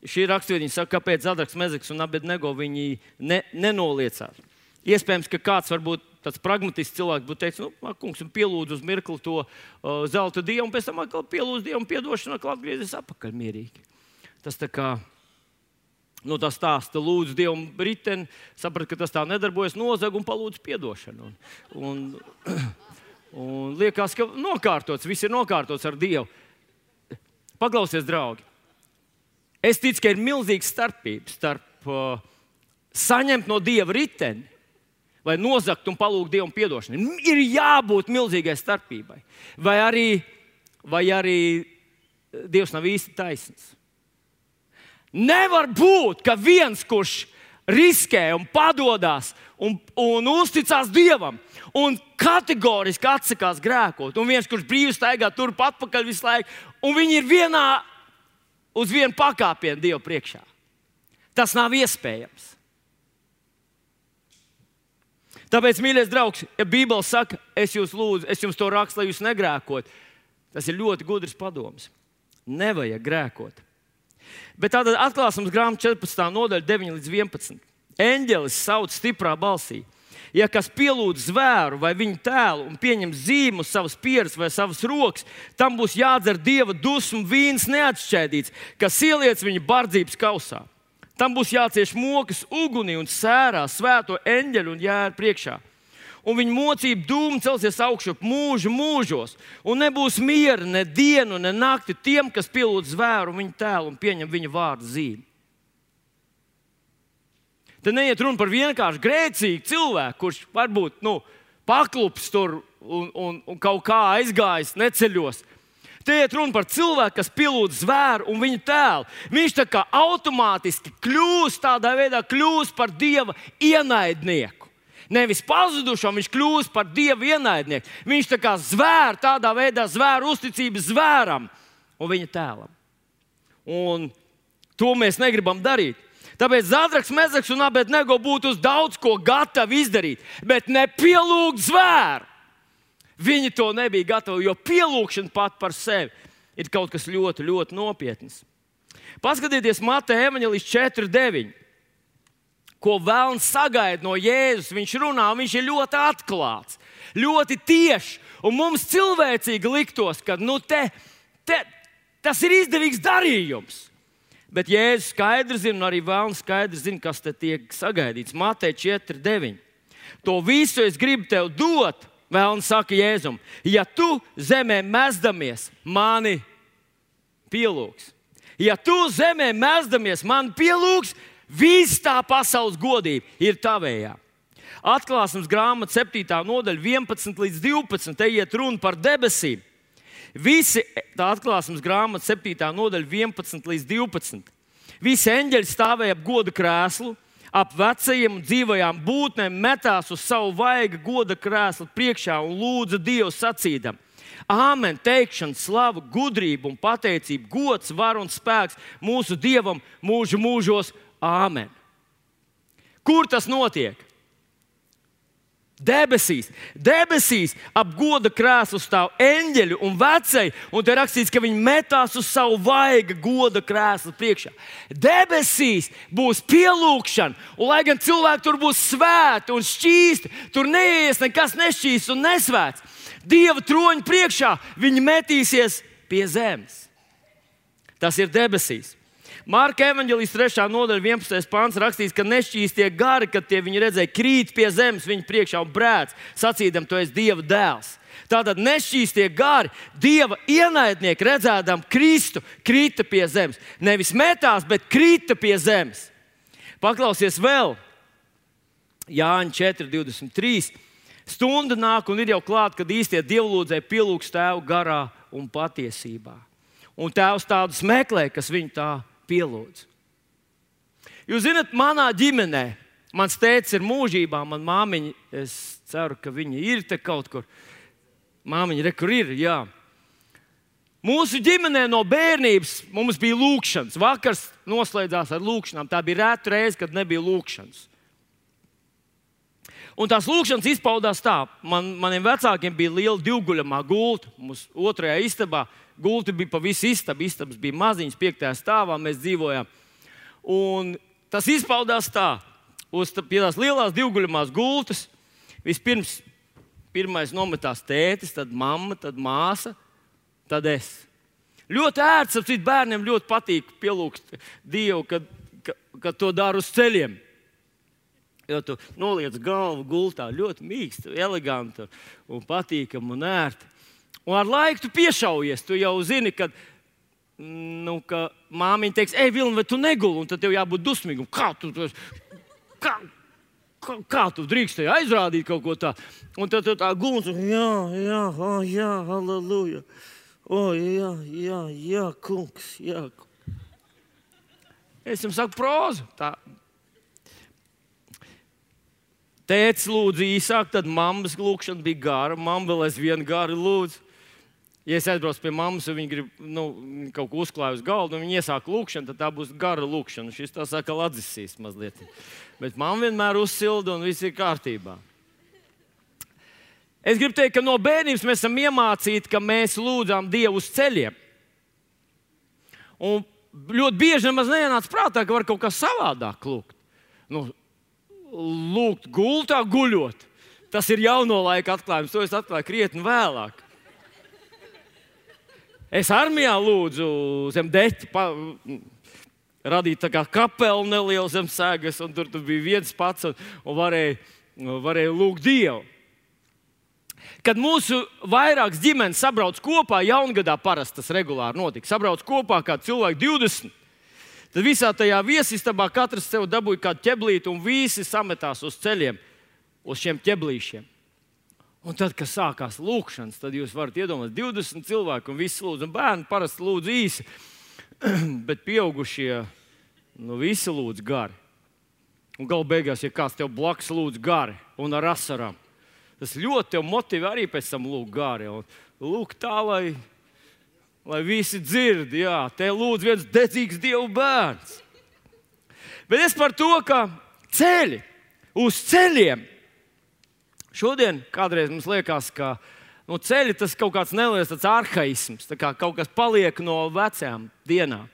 S1: Šī raksturvieta saka, kāpēc Sadraks, Mezaks un Abednego viņi ne, nenoliecās. Iespējams, ka kāds varbūt tāds pragmatisks cilvēks būtu teicis, nu, kungs, un pielūdz uz mirkli to uh, zelta dievu, un pēc tam atkal pielūdz dievu un piedošanu, atkal atgriezies apakaļ mierīgi. Tas tā kā, nu, tas stāsta, lūdz dievu riteni, saprat, ka tas tā nedarbojas, nozag un palūdz piedošanu. Un, un, un liekas, ka nokārtots, viss ir nokārtots ar Dievu. Paklausies, draugi. Es ticu, ka ir milzīga starpība starp uh, saņemt no Dieva riteni vai nozagt un palūgt Dievam piedošanu. Ir jābūt milzīgai starpībai. Vai arī, vai arī Dievs nav īsti taisns. Nevar būt, ka viens, kurš riskē un padodas un, un uzticās Dievam un kategoriski atsakās grēkot, un viens, kurš brīvi staigā turp atpakaļ visu laiku, un viņi ir vienā uz vienu pakāpienu Dievu priekšā. Tas nav iespējams. Tāpēc, mīļais draugs, ja Bībele saka, es jūs lūdzu, es jums to rakstu, lai jūs negrēkot, tas ir ļoti gudrs padoms. Nevajag grēkot. Bet tātad atklāsmes grāmata četrpadsmitā nodaļa deviņi līdz vienpadsmit. Eņģelis sauc stiprā balsī. Ja kas pielūdz zvēru vai viņa tēlu un pieņem zīmu uz savas pieres vai savas rokas, tam būs jādzer Dieva dusmu vīns neatšķēdīts, kas ieliec viņa bardzības kausā. Tam būs jācieš mokas ugunī un sērā svēto eņģeļu un jēru priekšā. Un viņa mocība dūma celsies augšup mūžu mūžos, un nebūs miera ne dienu, ne nakti tiem, kas pielūdz zvēru un viņa tēlu un pieņem viņa vārdu zīmi. Te neiet runa par vienkārši grēcīgu cilvēku, kurš varbūt nu, paklups tur un, un, un kaut kā aizgājis neceļos. Te iet runa par cilvēku, kas pielūdz zvēru un viņa tēlu. Viņš tā kā automātiski kļūst tādā veidā, kļūst par Dieva ienaidnieku. Nevis pazudušo, viņš kļūst par Dieva ienaidnieku. Viņš tā kā zvēr tādā veidā, zvēr uzticības zvēram un viņa tēlam. Un to mēs negribam darīt. Tāpēc Sadraks, Mezaks un Abednego būtu uz daudz ko gatavi izdarīt, bet nepielūgt zvēru. Viņi to nebija gatavi, jo pielūgšana pat par sevi ir kaut kas ļoti, ļoti nopietns. Paskatieties Mateja evaņģēlijs četri deviņi. Ko vēlns sagaida no Jēzus. Viņš runā, viņš ir ļoti atklāts, ļoti tieši. Un mums cilvēcīgi liktos, ka nu, te, te, tas ir izdevīgs darījums. Bet Jēzus skaidri zina, un arī vēlns skaidri zina, kas te tiek sagaidīts. Mateja četri deviņi. To visu es gribu tev dot, vēlns saka Jēzum, ja tu zemē mezdamies mani pielūgs. Ja tu zemē mezdamies mani pielūgs, viss tā pasaules godība ir tavējā. Atklāsmes grāmata septītā nodaļa vienpadsmit līdz divpadsmit. Te iet runa par debesīm. Visi, tā Atklāsmes grāmata septītā nodaļa vienpadsmit līdz divpadsmit. Visi eņģeļi stāvēja ap goda krēslu, ap vecajiem un dzīvajām būtnēm, metās uz savu vaiga goda krēslu priekšā un lūdza Dievu sacīdam: Āmen, teikšana, slava, gudrība un pateicība, gods, var un spēks mūsu Dievam mūžu mūžos. Āmen. Kur tas notiek? Debesīs. Debesīs ap goda krēslu stāv eņģeļi un vecēji, un te rakstīts, ka viņi metās uz savu vaiga goda krēslu priekšā. Debesīs būs pielūgšana, un lai gan cilvēki tur būs svēti un šķīsti, tur neies nekas nešķīsts un nesvēts. Dieva troņa priekšā viņi metīsies pie zemes. Tas ir debesīs. Marka evaņģēlijas trešā nodaļa vienpadsmitais pants rakstīts, ka nešķīstie gari, kad tie viņi redzēja, krīt pie zemes viņa priekšā un brēc, sacīdam, tu esi Dieva dēls. Tātad nešķīstie gari, Dieva ienaidnieki, redzēdam Kristu, krita pie zemes. Nevis metās, bet krita pie zemes. Paklausies vēl. Jāņa četri divdesmit trīs. Stunda nāk un ir jau klāt, kad īstie dievlūdzēji pielūgs Tēvu garā un patiesībā. Un Tēvs tādus meklē, kas viņu tā pielūdz. Jūs zināt, manā ģimenē, mans tētis ir mūžībā, man māmiņa, es ceru, ka viņa ir te kaut kur. Māmiņa, re, kur ir, jā. Mūsu ģimenē no bērnības mums bija lūkšanas. Vakars noslēdzās ar lūkšanām. Tā bija rēta reize, kad nebija lūkšanas. Un tās lūkšanas izpaudās tā. Man, maniem vecākiem bija liela divguļamā gulta. Mums otrajā istabā gulti bija pa visu istabu. Istabas bija maziņas, piektajā stāvā mēs dzīvojām. Un tas izpaudās tā. Uz pie tās lielās divguļamās gultas vispirms pirmais nometās tētis, tad mamma, tad māsa, tad es. Ļoti ērts, ap citu bērniem ļoti patīk pielūgt Dievu, kad, kad, kad to dara uz ceļiem. Jo tu noliec galvu gultā ļoti mīksti, eleganti un patīkami un ērti. Un ar laiku tu piešaujies, tu jau zini, ka, nu, ka māmiņa teiks, ej, Vilni, vai tu neguli, un tad tev jābūt dusmīgam. Kā tu, kā, kā, kā tu drīkstēji aizrādīt kaut ko tā? Un tad tu tā gulns, jā, jā, oh, jā, halleluja. O, jā, jā, jā, kungs, jā. Es jums saku prózu. Tā. Tētis lūdzu īsāk, tad mammas lūkšana bija gara. Mamma vēl aizvien gari lūdzu. Ja es aizbraucu pie mammas, un viņa grib nu, kaut ko uzklāju uz galdu, un viņa iesāk lūkšanu, tad tā būs gara lūkšana. Šis tā saka atzisīs mazliet. Bet mamma vienmēr uzsilda, un viss ir kārtībā. Es gribu teikt, ka no bērnības mēs esam iemācīti, ka mēs lūdzām Dievu uz ceļiem. Un ļoti bieži nemaz neienāca prātā, ka var kaut kā savādāk lūgt. Nu, lūgt gultā guļot. Tas ir jauno laika atklājums. To es atklāju krietni vēlāk. Es armijā lūdzu zem deķa, pa, radīt tā kā kapelu nelielu zem sēgas, un tur, tur bija viens pats, un, un varēja, varēja lūgt Dievu. Kad mūsu vairākas ģimenes sabrauc kopā, jaungadā parasti tas regulāri notika, sabrauc kopā kā cilvēki divdesmit, tad visā tajā viesistabā katrs sev dabūja kādu ķeblīti, un visi sametās uz ceļiem, uz šiem ķeblīšiem. Un tad, kad sākās lūkšanas, tad jūs varat iedomāties divdesmit cilvēku un visi lūdz. Un bērni parasti lūdz īsi, bet pieaugušie nu, visi lūdz gari. Un galu beigās, ja kāds tev blakus lūdz gari un ar asarām, tas ļoti tev motivē arī pēc tam lūgt gari. Un lūgt tā, lai, lai visi dzird, jā, te lūdz viens dedzīgs Dievu bērns. Bet es par to, ka ceļi uz ceļiem. Šodien kādreiz mums liekas, ka nu, ceļi tas kaut kāds neliels tāds arhaisms, tā kā kaut kas paliek no vecajām dienām.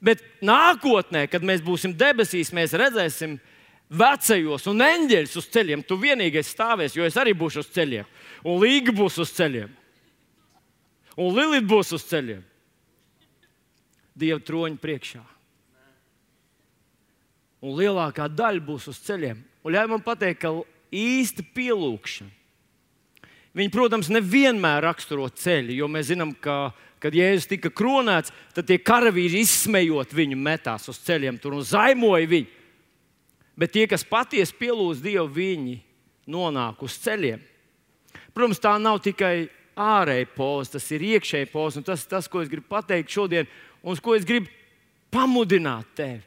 S1: Bet nākotnē, kad mēs būsim debesīs, mēs redzēsim vecajos un eņģeļus uz ceļiem. Tu vienīgais stāvēs, jo es arī būšu uz ceļiem. Un Līga būs uz ceļiem. Un Lilita būs uz ceļiem. Dieva troņa priekšā. Un lielākā daļa būs uz ceļiem. Un ļauj man pateikt, ka īsta pielūgšana. Viņi, protams, nevienmēr raksturo ceļu, jo mēs zinām, ka, kad Jēzus tika kronēts, tad tie karavīri izsmejot viņu metās uz ceļiem tur un zaimoja viņu. Bet tie, kas patiesi pielūdz Dievu, viņi nonāk uz ceļiem. Protams, tā nav tikai ārēja poza, tas ir iekšēja poza. Tas, tas, ko es gribu pateikt šodien, un uz ko es gribu pamudināt tevi.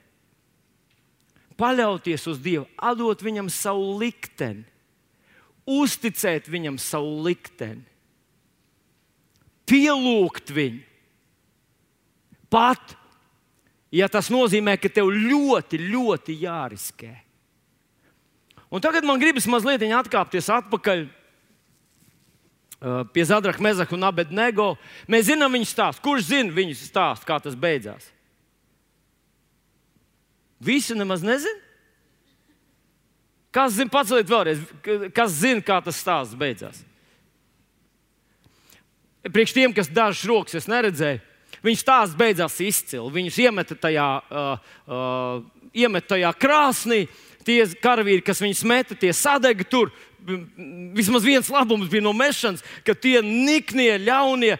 S1: Paļauties uz Dievu, atdot viņam savu likteni, uzticēt viņam savu likteni, pielūgt viņu. Pat, ja tas nozīmē, ka tev ļoti, ļoti jāriskē. Un tagad man gribas mazliet atkāpties atpakaļ uh, pie Zadraka, Mezaka un Abednego. Mēs zinām viņu stāstu. Kurš zina viņu stāstu, kā tas beidzās? Visi nemaz nezina? Kas zina, paceliet vēlreiz, kas zina, kā tas stāsts beidzās? Priekš tiem, kas dažas rokas es neredzēju, viņu stāsts beidzās izcili. Viņus iemeta tajā, uh, uh, iemeta tajā krāsnī. Tie karavīri, kas viņus meta, tie sadega tur. Vismaz viens labums bija no mešanas, ka tie niknie, ļaunie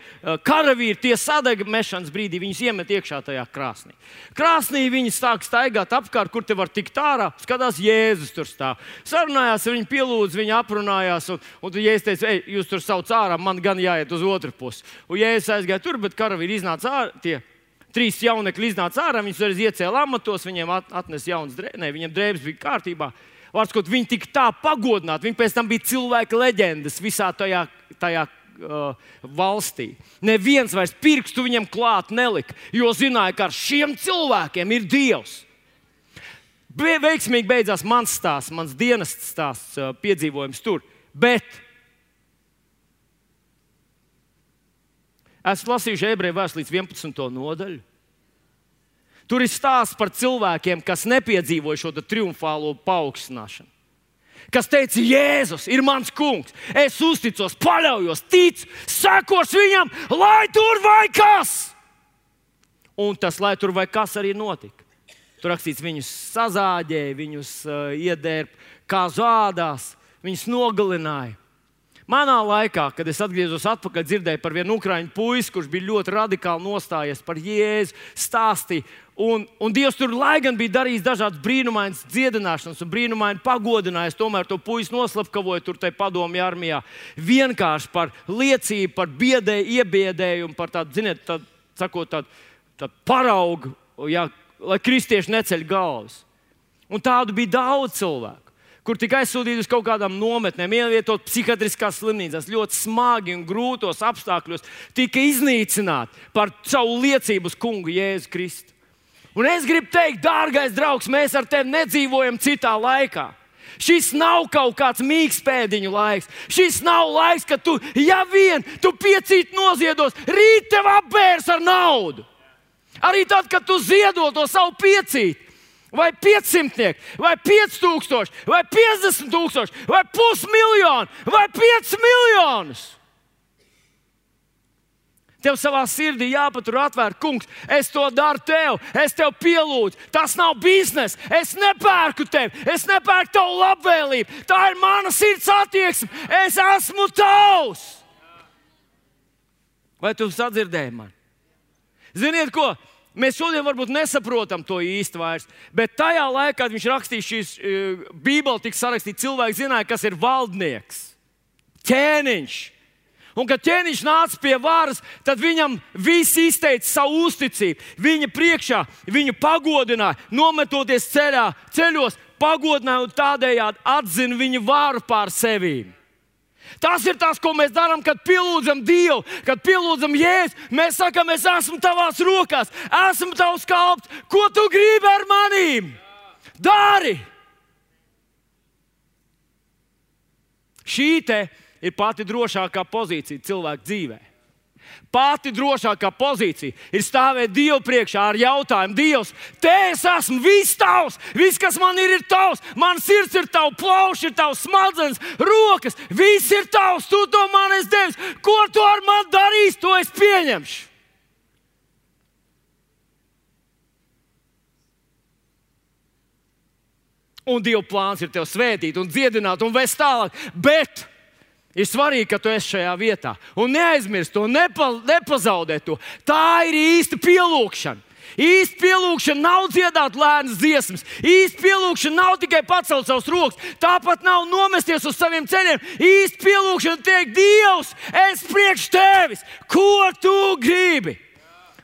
S1: karavīri, tie sadega mešanas brīdī, viņus iemet iekšā tajā krāsnī. Krāsnī viņi sāk staigāt apkārt, kur te var tikt ārā. Skatās, Jēzus tur stāv. Sarunājās, viņi pielūdz, viņi aprunājās. Un, un Jēzus teica, ej, jūs tur sauc ārā, man gan jāiet uz otru pusi. Un Jēzus aizgāja tur, bet karavīri iznāca ārā. Tie trīs jaunekļi iznāca ārā, viņus arī iecēla amatos, viņiem atnesa jaunas drēbes, viņiem drēbes bija kārtībā. Vārds, kaut viņi tika tā pagodināti, viņi pēc tam bija cilvēka leģendas visā tajā, tajā uh, valstī. Neviens vairs pirkstu viņam klāt nelika, jo zināja, ka ar šiem cilvēkiem ir Dievs. Be, veiksmīgi beidzās mans stāsts, mans dienests stāsts, uh, piedzīvojums tur, bet esmu lasījuši Ebreju vēstuli līdz vienpadsmito nodaļu. Tur ir stāsts par cilvēkiem, kas nepiedzīvoja šo triumfālo paaugstināšanu. Kas teica, Jēzus ir mans kungs, es uzticos, paļaujos, ticu, sekošu viņam, lai tur vai kas. Un tas, lai tur vai kas, arī notika. Tur rakstīts, viņus sazāģēja, viņus uh, iedērp kā zādās, viņus nogalināja. Manā laikā, kad es atgriezos atpakaļ, dzirdēju par vienu ukraiņu puisi, kurš bija ļoti radikāli nostājies par Jēzu, stāstīja. Un, un Dievs tur, lai gan bija darījis dažādas brīnumainas dziedināšanas un brīnumaini pagodinājis, tomēr to puisi noslapkavoja tur tai padomju armijā. Vienkārši par liecību, par biedēju, iebiedējumu, par tādu, ziniet, tādu, sakot, tādu, tādu paraugu, jā, lai kristieši neceļ galvas. Un tādu bija daudz cilvēku, kur tika aizsūtīti uz kaut kādām nometnēm, ievietot psihiatriskās slimnīcās, ļoti smagi un grūtos apstākļos, tika iznīcināti par savu liecību uz kungu Jēzu Kristu. Un es gribu teikt, dārgais draugs, mēs ar tevi nedzīvojam citā laikā. Šis nav kaut kāds mīkstpēdiņu laiks. Šis nav laiks, kad tu, ja vien tu piecīt noziedos, rīt tev apbērs ar naudu. Arī tad, kad tu ziedo to savu piecīt. Vai piecsimtnieki, vai pieci tūkstoši, vai piecdesmit tūkstoši, vai pusmiljoni, vai pieci miljonus. Tev savā sirdī jāpatur atvērt, kungs, es to daru tev, es tev pielūdzu. Tas nav bizness, es nepērku tevi, es nepērku tavu labvēlību. Tā ir mana sirds attieksme, es esmu tavs. Vai tu sadzirdēji mani? Ziniet ko? Mēs šodien varbūt nesaprotam to īsti vairs, bet tajā laikā, kad viņš rakstīja šīs uh, Bībeli, tika sarakstīts, cilvēki zināja, kas ir valdnieks, ķēniņš. Un, kad ķēniņš nāca pie varas, tad viņam visi izteica savu uzticību. Viņa priekšā viņu pagodināja, nometoties ceļā, ceļos, pagodināja un tādējādi atzina viņu varu pār sevīm. Tas ir tas, ko mēs darām, kad pielūdzam Dievu, kad pielūdzam Jēzu. Mēs sakām, es esmu tavās rokās, esmu tavs kalps. Ko tu gribi ar manīm? Dari! Šī te ir pati drošākā pozīcija cilvēka dzīvē. Pati drošākā pozīcija ir stāvēt Dievu priekšā ar jautājumu: Dievs, te es esmu, viss tavs, viss, kas man ir, ir tavs. Man sirds ir tavs, plauši ir tavs, smadzenes, rokas, viss ir tavs. Tu to man esi devis. Ko tu ar mani darīsi, to es pieņemšu. Un Dieva plāns ir tev svētīt un dziedināt un vest tālāk. Bet ir svarīgi, ka tu esi šajā vietā. Un neaizmirst to, nepa, nepazaudē to. Tā ir īsta pielūgšana. Īsta pielūgšana nav dziedāt lēnas dziesmas. Īsta pielūgšana nav tikai pacelt savus rokas. Tāpat nav nomesties uz saviem ceļiem. Īsta pielūgšana teikt, Dievs, es priekš tevis, ko tu gribi?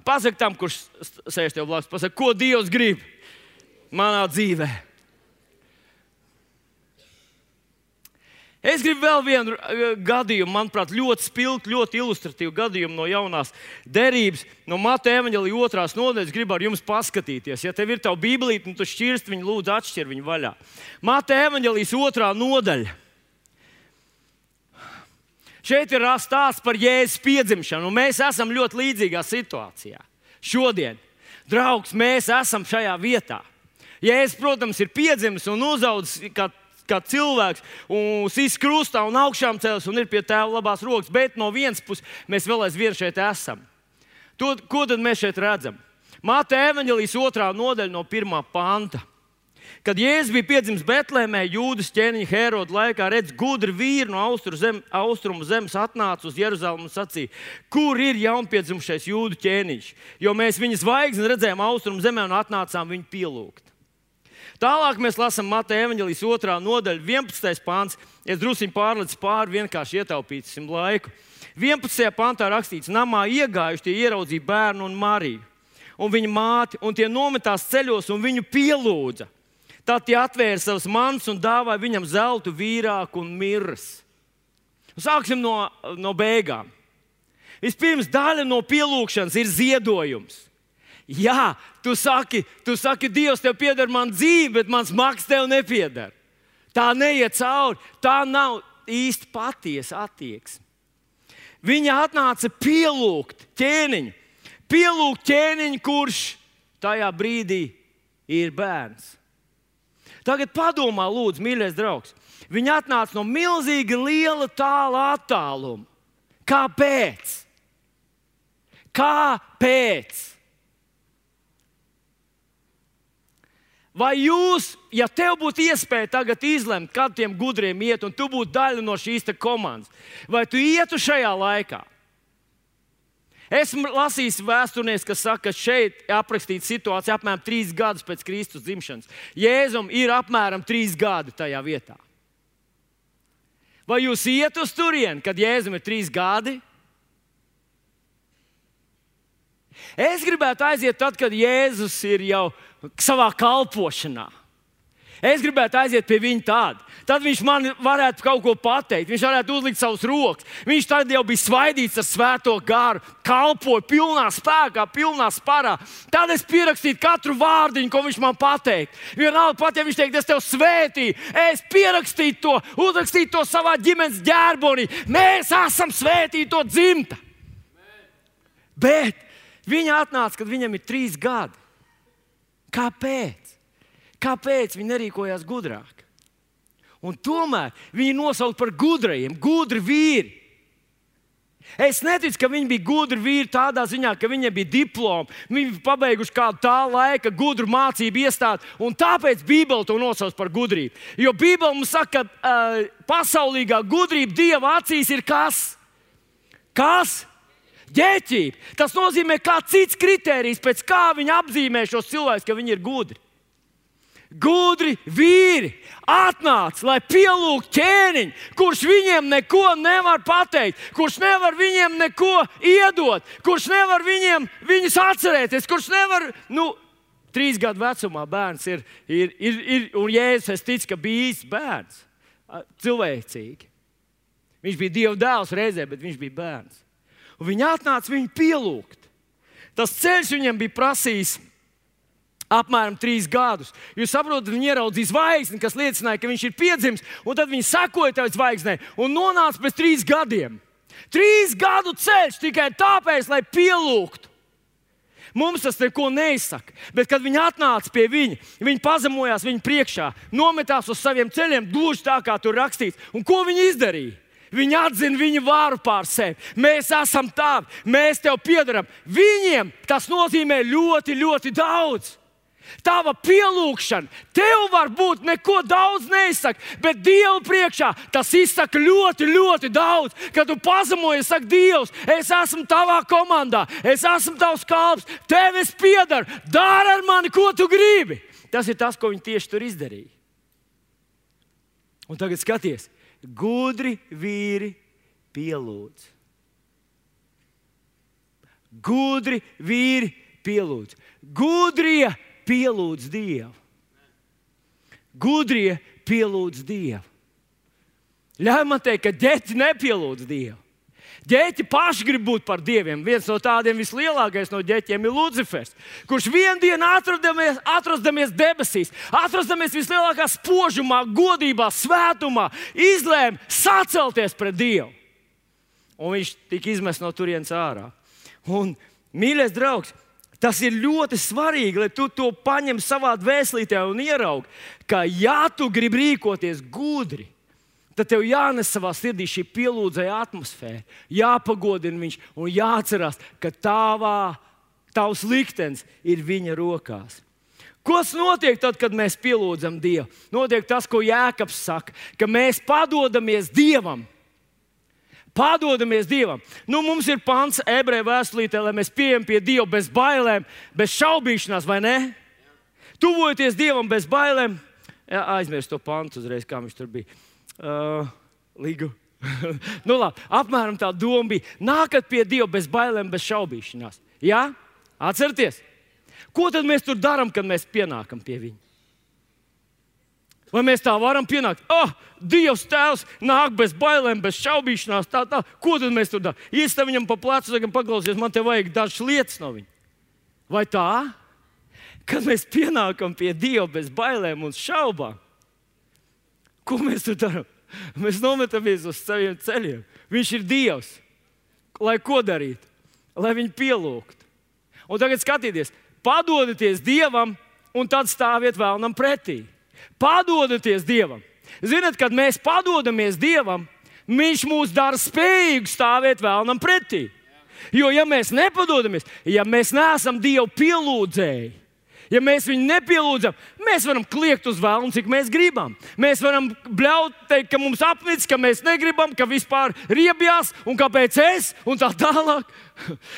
S1: Pasaki tam, kurš sēž tev blakus, pasaki, ko Dievs grib manā dzīvē. Es gribu vēl vienu gadījumu, manuprāt, ļoti spilgtu, ļoti ilustratīvu gadījumu no jaunās derības, no Mateja evaņģēlija otrās nodaļas. Gribu ar jums paskatīties. Ja tev ir tava bībelīte, nu tu šķirst viņu, lūdzu atšķir viņu vaļā. Mateja evaņģēlijas otrā nodaļa. Šeit ir stāsts par Jēzus piedzimšanu, un mēs esam ļoti līdzīgā situācijā. Šodien, draugs, mēs esam šajā vietā. Jēzus, protams, ir piedzimis un uzaudzis kā kā cilvēks, un sīs krustā un augšām cēlis un ir pie tēva labās rokas, bet no vienas puses mēs vēl aizvien šeit esam. To, ko tad mēs šeit redzam? Mateja evaņģēlijas otrā nodaļa no pirmā panta. Kad Jēzus bija piedzimis Betlēmē, Jūdas ķēniņa Heroda laikā, redz, gudri vīri no austrumu zem, austrumu zemes atnāca uz Jeruzalemi un sacīja, kur ir jaunpiedzimušais Jūdu ķēniņš, jo mēs viņa zvaigzni redzējām austrumu zemē un atnācām viņu pielūgt. Tālāk mēs lasām Mateja evaņģēlijas otrā nodaļa, vienpadsmitais pants. Es druskuļi pārlecu pāri, vienkārši ietaupīsim laiku. vienpadsmitajā pantā rakstīts, namā iegājuši tie ieraudzīja bērnu un Mariju un viņa māti, un tie nometās ceļos un viņu pielūdza. Tad tie atvēra savas mantas un dāvāja viņam zeltu, vīrāku un mirras. Sāksim no, no beigām. Vispirms daļa no pielūgšanas ir ziedojums. Jā, tu saki, tu saki, Dievs, tev pieder man dzīve, bet mans maks tev nepieder. Tā neiet cauri, tā nav īsti patiesa attieksme. Viņa atnāca pielūgt ķēniņu, pielūgt ķēniņu, kurš tajā brīdī ir bērns. Tagad padomā, lūdzu, mīļais draugs. Viņa atnāca no milzīgi liela tāla attāluma. Kāpēc? Kāpēc? Vai jūs, ja tev būtu iespēja tagad izlemt, kad tiem gudriem iet, un tu būtu daļa no šīs komandas, vai tu ietu šajā laikā? Esmu lasījis vēsturnieks, kas saka, ka šeit aprakstīta situācija apmēram trīs gadus pēc Kristus dzimšanas. Jēzum ir apmēram trīs gadi tajā vietā. Vai jūs iet uz turieni, kad Jēzum ir trīs gadi? Es gribētu aiziet tad, kad Jēzus ir jau savā kalpošanā. Es gribētu aiziet pie viņa tāda. Tad viņš man varētu kaut ko pateikt. Viņš varētu uzlikt savus rokas. Viņš tad jau bija svaidīts ar svēto garu, kalpoja pilnā spēkā, pilnā sparā. Tad es pierakstītu katru vārdiņu, ko viņš man pateikt. Vienalga pat, ja viņš teikt, es tev svētīju, es pierakstītu to, uzrakstītu to savā ģimenes ģerbonī. Mēs esam svētīti to dzimta. Bet viņa atnāca, kad viņam ir trīs gadi. Kāpēc? Kāpēc viņi nerīkojās gudrāk? Un tomēr viņi nosaukt par gudrajiem, gudri vīri. Es neticu, ka viņi bija gudri vīri tādā ziņā, ka viņiem bija diplomi, viņi bija pabeiguši kādu tā laika gudru mācību iestādi, un tāpēc Bībele to nosauc par gudrību. Jo Bībele mums saka, ka uh, pasaulīgā gudrība Dieva acīs ir kas? Kas? Ģeķība. Tas nozīmē, kā cits kritērijs, pēc kā viņi apzīmē šos cilvēkus, ka viņi ir gudri. Gudri vīri atnāca, lai pielūgtu ķēniņu, kurš viņiem neko nevar pateikt, kurš nevar viņiem neko iedot, kurš nevar viņiem viņus atcerēties, kurš nevar, nu, trīs gadu vecumā bērns ir, ir, ir, ir un Jēzus, es ticu, ka bija īsts bērns, cilvēcīgi. Viņš bija Dieva dēls reizē, bet viņš bija bērns. Un viņi atnāca viņu pielūgt. Tas ceļš viņam bija prasījis apmēram trīs gadus. Jūs saprotat, viņi ieraudzīja zvaigzni, kas liecināja, ka viņš ir piedzimis, un tad viņi sekoja tai zvaigznei un nonāca pēc trīs gadiem. Trīs gadu ceļš tikai tāpēc, lai pielūgtu. Mums tas neko neizsaka, bet kad viņi atnāca pie viņa, viņi pazemojās viņa priekšā, nometās uz saviem ceļiem, gluži tā, kā tur rakstīts. Un ko viņi izdarīja? Viņi atzina viņa vāru pār sevi. Mēs esam tavi, mēs tev piederam. Viņiem tas nozīmē ļoti, ļoti daudz. Tava pielūgšana, tev varbūt neko daudz neizsaka, bet Dievu priekšā tas izsaka ļoti, ļoti daudz. Kad tu pazemojies, saka, Dievs, es esmu tavā komandā, es esmu tavs kalps, tev es piedaru, dari ar mani, ko tu gribi. Tas ir tas, ko viņi tieši tur izdarīja. Un tagad skaties, gudri vīri pielūdz. Gudri vīri pielūdz. Gudrie pielūdz Dievu. Gudrie pielūdz Dievu. Ļauj man teikt, ka ģeķi nepielūdz Dievu. Ģeķi paši grib būt par dieviem. Viens no tādiem vislielākais no ģeķiem ir Lucifers, kurš vienu dienu atrodamies, atrodamies debesīs, atrodamies vislielākā spožumā, godībā, svētumā, izlēma sacelties pret Dievu. Un viņš tika izmests no turienes ārā. Un, mīļais draugs, tas ir ļoti svarīgi, lai tu to paņem savā dvēselītē un ieraugi, ka ja tu gribi rīkoties gudri, tad tev jānes savā sirdī šī pielūdzēja atmosfēra, jāpagodina viņš un jāatcerās, ka tavā, tavs liktenis ir viņa rokās. Kas notiek tad, kad mēs pielūdzam Dievu? Notiek tas, ko Jēkabs saka, ka mēs padodamies Dievam. Padodamies Dievam. Nu, mums ir pants ebreju vēstulītē, lai mēs pieejam pie Dieva bez bailēm, bez šaubīšanās, vai ne? Tuvojoties Dievam bez bailēm. Jā, aizmirst to pantu uzreiz, kā viņš tur bija. Uh, Ligu. Nu, labi, apmēram tā doma bija. Nākat pie Dieva bez bailēm, bez šaubīšanās. Jā? Atcerieties? Ko tad mēs tur darām, kad mēs pienākam pie viņa? Vai mēs tā varam pienākt? Oh, Dievs Tēvs nāk bez bailēm, bez šaubīšanās. Tā, tā. Ko tad mēs tur darām? Iestāv viņam pa plecu, sakam, paklausies, man te vajag dažas lietas no viņa. Vai tā? Kad mēs pienākam pie Dieva bez bailēm un šaubām, ko mēs tur darām? Mēs nometamies uz saviem ceļiem. Viņš ir Dievs. Lai ko darītu? Lai viņu pielūgtu. Un tagad skatieties, padodieties Dievam un tad stāviet vēlnam pretī. Padodieties Dievam. Ziniet, kad mēs padodamies Dievam, Viņš mūs dara spējīgu stāvēt vēlnam pretī. Jo, ja mēs nepadodamies, ja mēs neesam Dievu pielūdzēji, ja mēs viņu nepielūdzam, mēs varam kliegt uz vēlnu, cik mēs gribam. Mēs varam bļaut, teikt, ka mums apnicis, ka mēs negribam, ka vispār riebjās un kāpēc es un tā tālāk.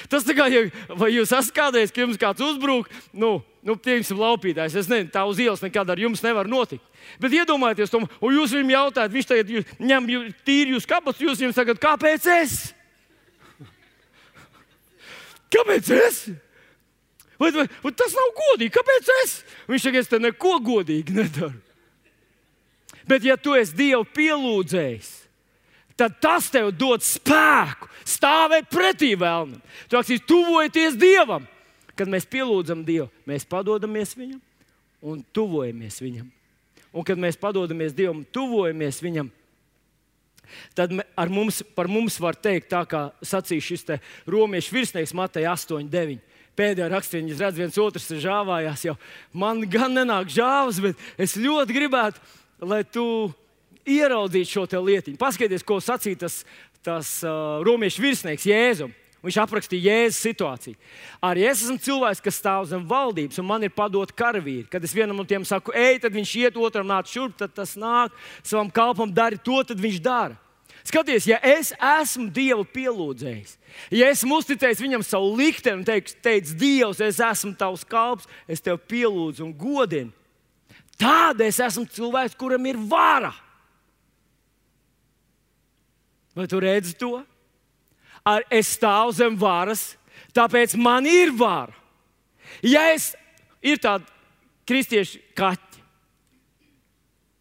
S1: Tas tā kā, ja, vai jūs esat kādreiz, ka jums kāds uzbrūk, nu, nu piemēram, laupītājs, es nezinu, tā uz ielas nekad ar jums nevar notikt. Bet iedomājieties to, un jūs viņam jautājat, viņš tagad jūs, ņem jū, tīri jūs kabatus, jūs viņam sakat, kāpēc es? Kāpēc es? Vai, vai, vai tas nav godīgi, kāpēc es? Viņš saka, es te neko godīgi nedaru. Bet ja tu esi Dievu pielūdzējis, tad tas tev dod spēku stāvēt pretī vēlnam. Tu aksīs, tuvojieties Dievam. Kad mēs pielūdzam Dievu, mēs padodamies Viņam un tuvojamies Viņam. Un kad mēs padodamies Dievam, tuvojamies Viņam, tad ar mums, par mums var teikt, tā kā sacīja šis te romiešu virsnieks Mateja astoņi deviņi. Pēdējā rakstīnā es redzu, viens otrs ir žāvājās jau. Man gan nenāk žāvas, bet es ļoti gribētu, lai tu ieraudzītu šo te lietiņu. Paskaties, ko sacīja tas, tas uh, romiešu virsnieks Jēzum. Viņš aprakstīja Jēzus situāciju. Arī es esmu cilvēks, kas stāv zem valdības, un man ir padot karavīri. Kad es vienam no tiem saku, ej, tad viņš iet, otram nāk šurp, tad tas nāk, savam kalpam dari to, tad viņš dara. Skaties, ja es esmu Dievu pielūdzējis, ja esmu uzticējis Viņam savu likteni un teicis, teic, Dievs, es esmu tavs kalps, es tev pielūdzu un godinu, tad es esmu cilvēks, kuram ir vara. Vai tu redzi to? Ar es stāvu zem varas, tāpēc man ir vara. Ja es ir tādi kristieši kaķi,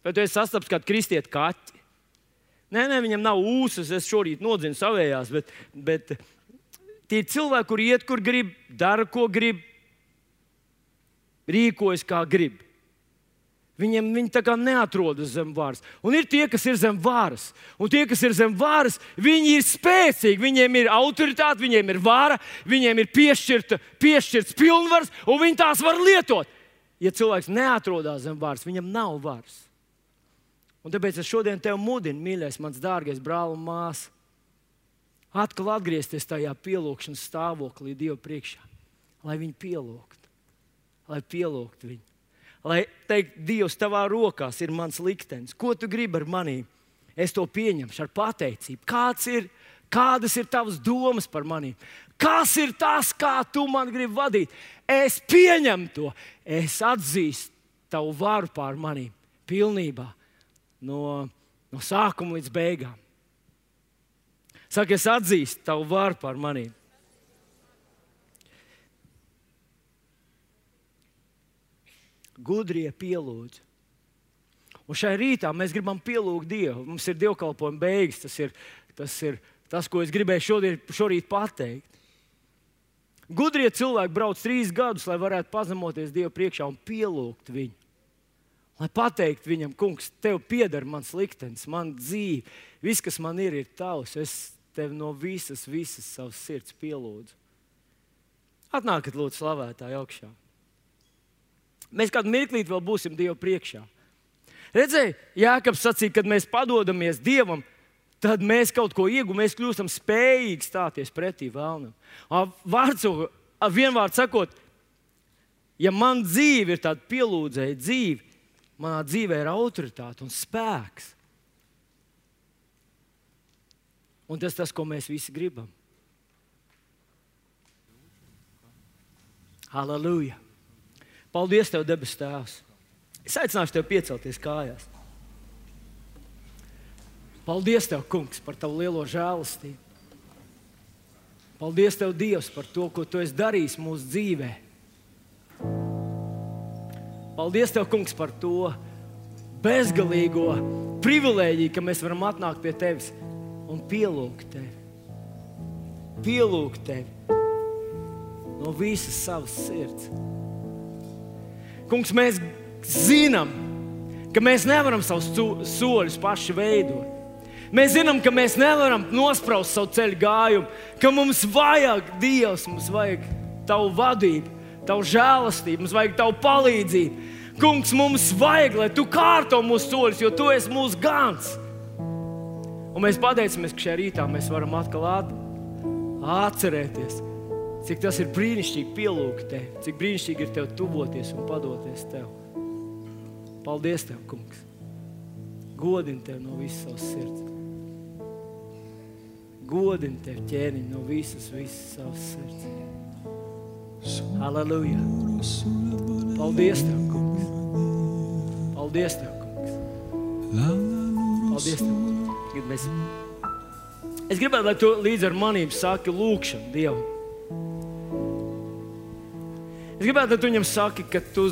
S1: vai tu esi sastaps kādu kristieti kaķi? Nē, nē, viņam nav ūsas, es šorīt nodzinu savējās, bet, bet tie ir cilvēki, kur iet, kur grib, dara, ko grib, rīkojas, kā grib. Viņiem viņi tā kā neatrodas zem varas. Un ir tie, kas ir zem varas. Un tie, kas ir zem varas, viņi ir spēcīgi, viņiem ir autoritāte, viņiem ir vara, viņiem ir piešķirta, piešķirts pilnvars, un viņi tās var lietot. Ja cilvēks neatrodas zem varas, viņam nav varas. Un tāpēc es šodien tevi mudinu, mīļais, mans dārgais brāl un māsa, atkal atgriezties tajā pielūgšanas stāvoklī Dievu priekšā, lai viņu pielūgtu, lai pielūgtu viņu. Lai teikt, Dievs, tavā rokās ir mans liktenis. Ko tu gribi ar manī? Es to pieņemšu ar pateicību. Kāds ir, kādas ir tavas domas par manī? Kas ir tas, kā tu man gribi vadīt? Es pieņemu to. Es atzīstu tavu varu pār manī pilnībā. No, no sākuma līdz beigām. Saka, es atzīstu tavu varu pār manī. Gudrie pielūdz. Un šai rītā mēs gribam pielūgt Dievu. Mums ir dievkalpojuma beigas. Tas ir tas, ir tas ko es gribēju šodien, šorīt pateikt. Gudrie cilvēki brauc trīs gadus, lai varētu pazemoties Dievu priekšā un pielūgt viņu. Lai pateikt viņam, kungs, tev pieder mans liktenis, man dzīve. Viss, kas man ir, ir tavs. Es tev no visas, visas savas sirds pielūdzu. Atnākat lūdzu slavētāji augšā. Mēs kādu mirklīti vēl būsim Dievu priekšā. Redzēji, Jākabs sacīja, kad mēs padodamies Dievam, tad mēs kaut ko iegūstam, mēs kļūstam spējīgi stāties pretī vēlnam. Vārds, vienvārds sakot, ja man dzīve ir tāda pielūdzēja dzīve, manā dzīvē ir autoritāte un spēks. Un tas ir tas, ko mēs visi gribam. Halleluja! Paldies tev, debes Tēvs! Es aicināšu tev piecelties kājās. Paldies tev, kungs, par tavu lielo žēlastību. Paldies tev, Dievs, par to, ko tu esi darījis mūsu dzīvē. Paldies tev, kungs, par to bezgalīgo privilēģiju, ka mēs varam atnākt pie tevis un pielūgt tevi. Pielūgt tevi no visas savas sirds. Kungs, mēs zinām, ka mēs nevaram savus soļus paši veidot. Mēs zinām, ka mēs nevaram nospraust savu ceļu gājumu, ka mums vajag Dievs, mums vajag tavu vadību, tavu žēlastību, mums vajag tavu palīdzību. Kungs, mums vajag, lai tu kārto mūsu soļus, jo tu esi mūsu gans. Un mēs pateicamies, ka šajā rītā mēs varam atkal atcerēties, cik tas ir brīnišķīgi pielūgt tevi, cik brīnišķīgi ir tev tuvoties un padoties tev. Paldies tev, kungs. Godini tev no visas savas sirds. Godini tev, ķēniņ, no visas, visas savas sirds. Halleluja. Paldies tev, kungs. Paldies tev, kungs. Paldies tev. Tagad mēs... Es gribētu, lai tu līdz ar manību saki lūkšanu Dievam. Es gribētu, lai tu viņam saki, ka tu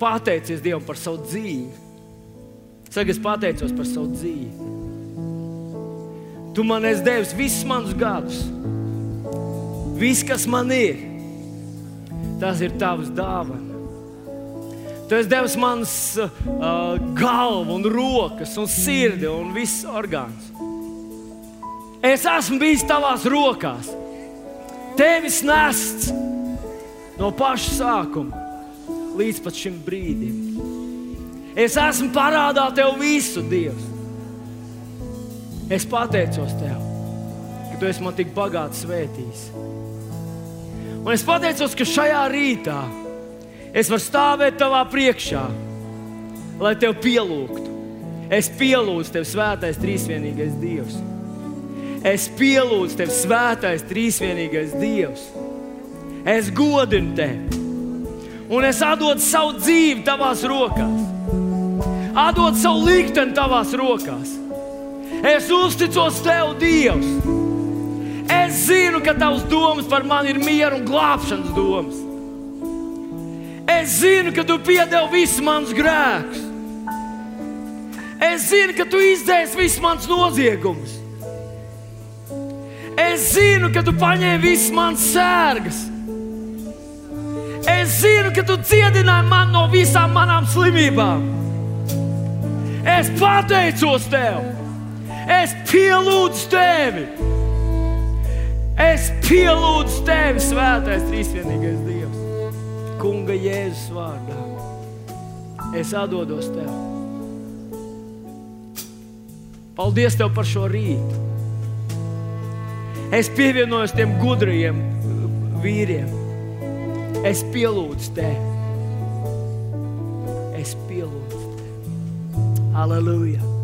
S1: pateicies Dievam par savu dzīvi. Saki, es pateicos par savu dzīvi. Tu man esi devis visus manus gadus. Viss, kas man ir, tas ir tavs dāvana. Tu esi devis manas uh, galvu un rokas un sirdi un viss orgāns. Es esmu bijis tavās rokās. Tevis nests no paša sākuma līdz pat šim brīdim. Es esmu parādā tev visu, Dievs. Es pateicos tev, ka tu esi man tik bagāti svētījis. Un es pateicos, ka šajā rītā es varu stāvēt tavā priekšā, lai tev pielūgtu. Es pielūdzu tev, svētais trīsvienīgais Dievs. Es pielūdzu tev, svētais trīsvienīgais Dievs. Es godinu tevi. Un es atdodu savu dzīvi tavās rokās. Atdodu savu likteni tavās rokās. Es uzticos tev, Dievs. Es zinu, ka tavs domas par mani ir miera un glābšanas domas. Es zinu, ka tu piedevi visus manus grēkus. Es zinu, ka tu izdzēsi visus manus noziegumus. Es zinu, ka tu paņēmi visas manas sērgas. Es zinu, ka tu dziedināji mani no visām manām slimībām. Es pateicos tev. Es pielūdzu tevi. Es pielūdzu tevi, svētais trīsvienīgais Dievs. Kunga Jēzus vārdā. Es atdodos tev. Paldies tev par šo rītu. Es pievienojos tiem gudrajiem vīriem, Es pielūdzu tevi. Es pielūdzu tevi. Halleluja!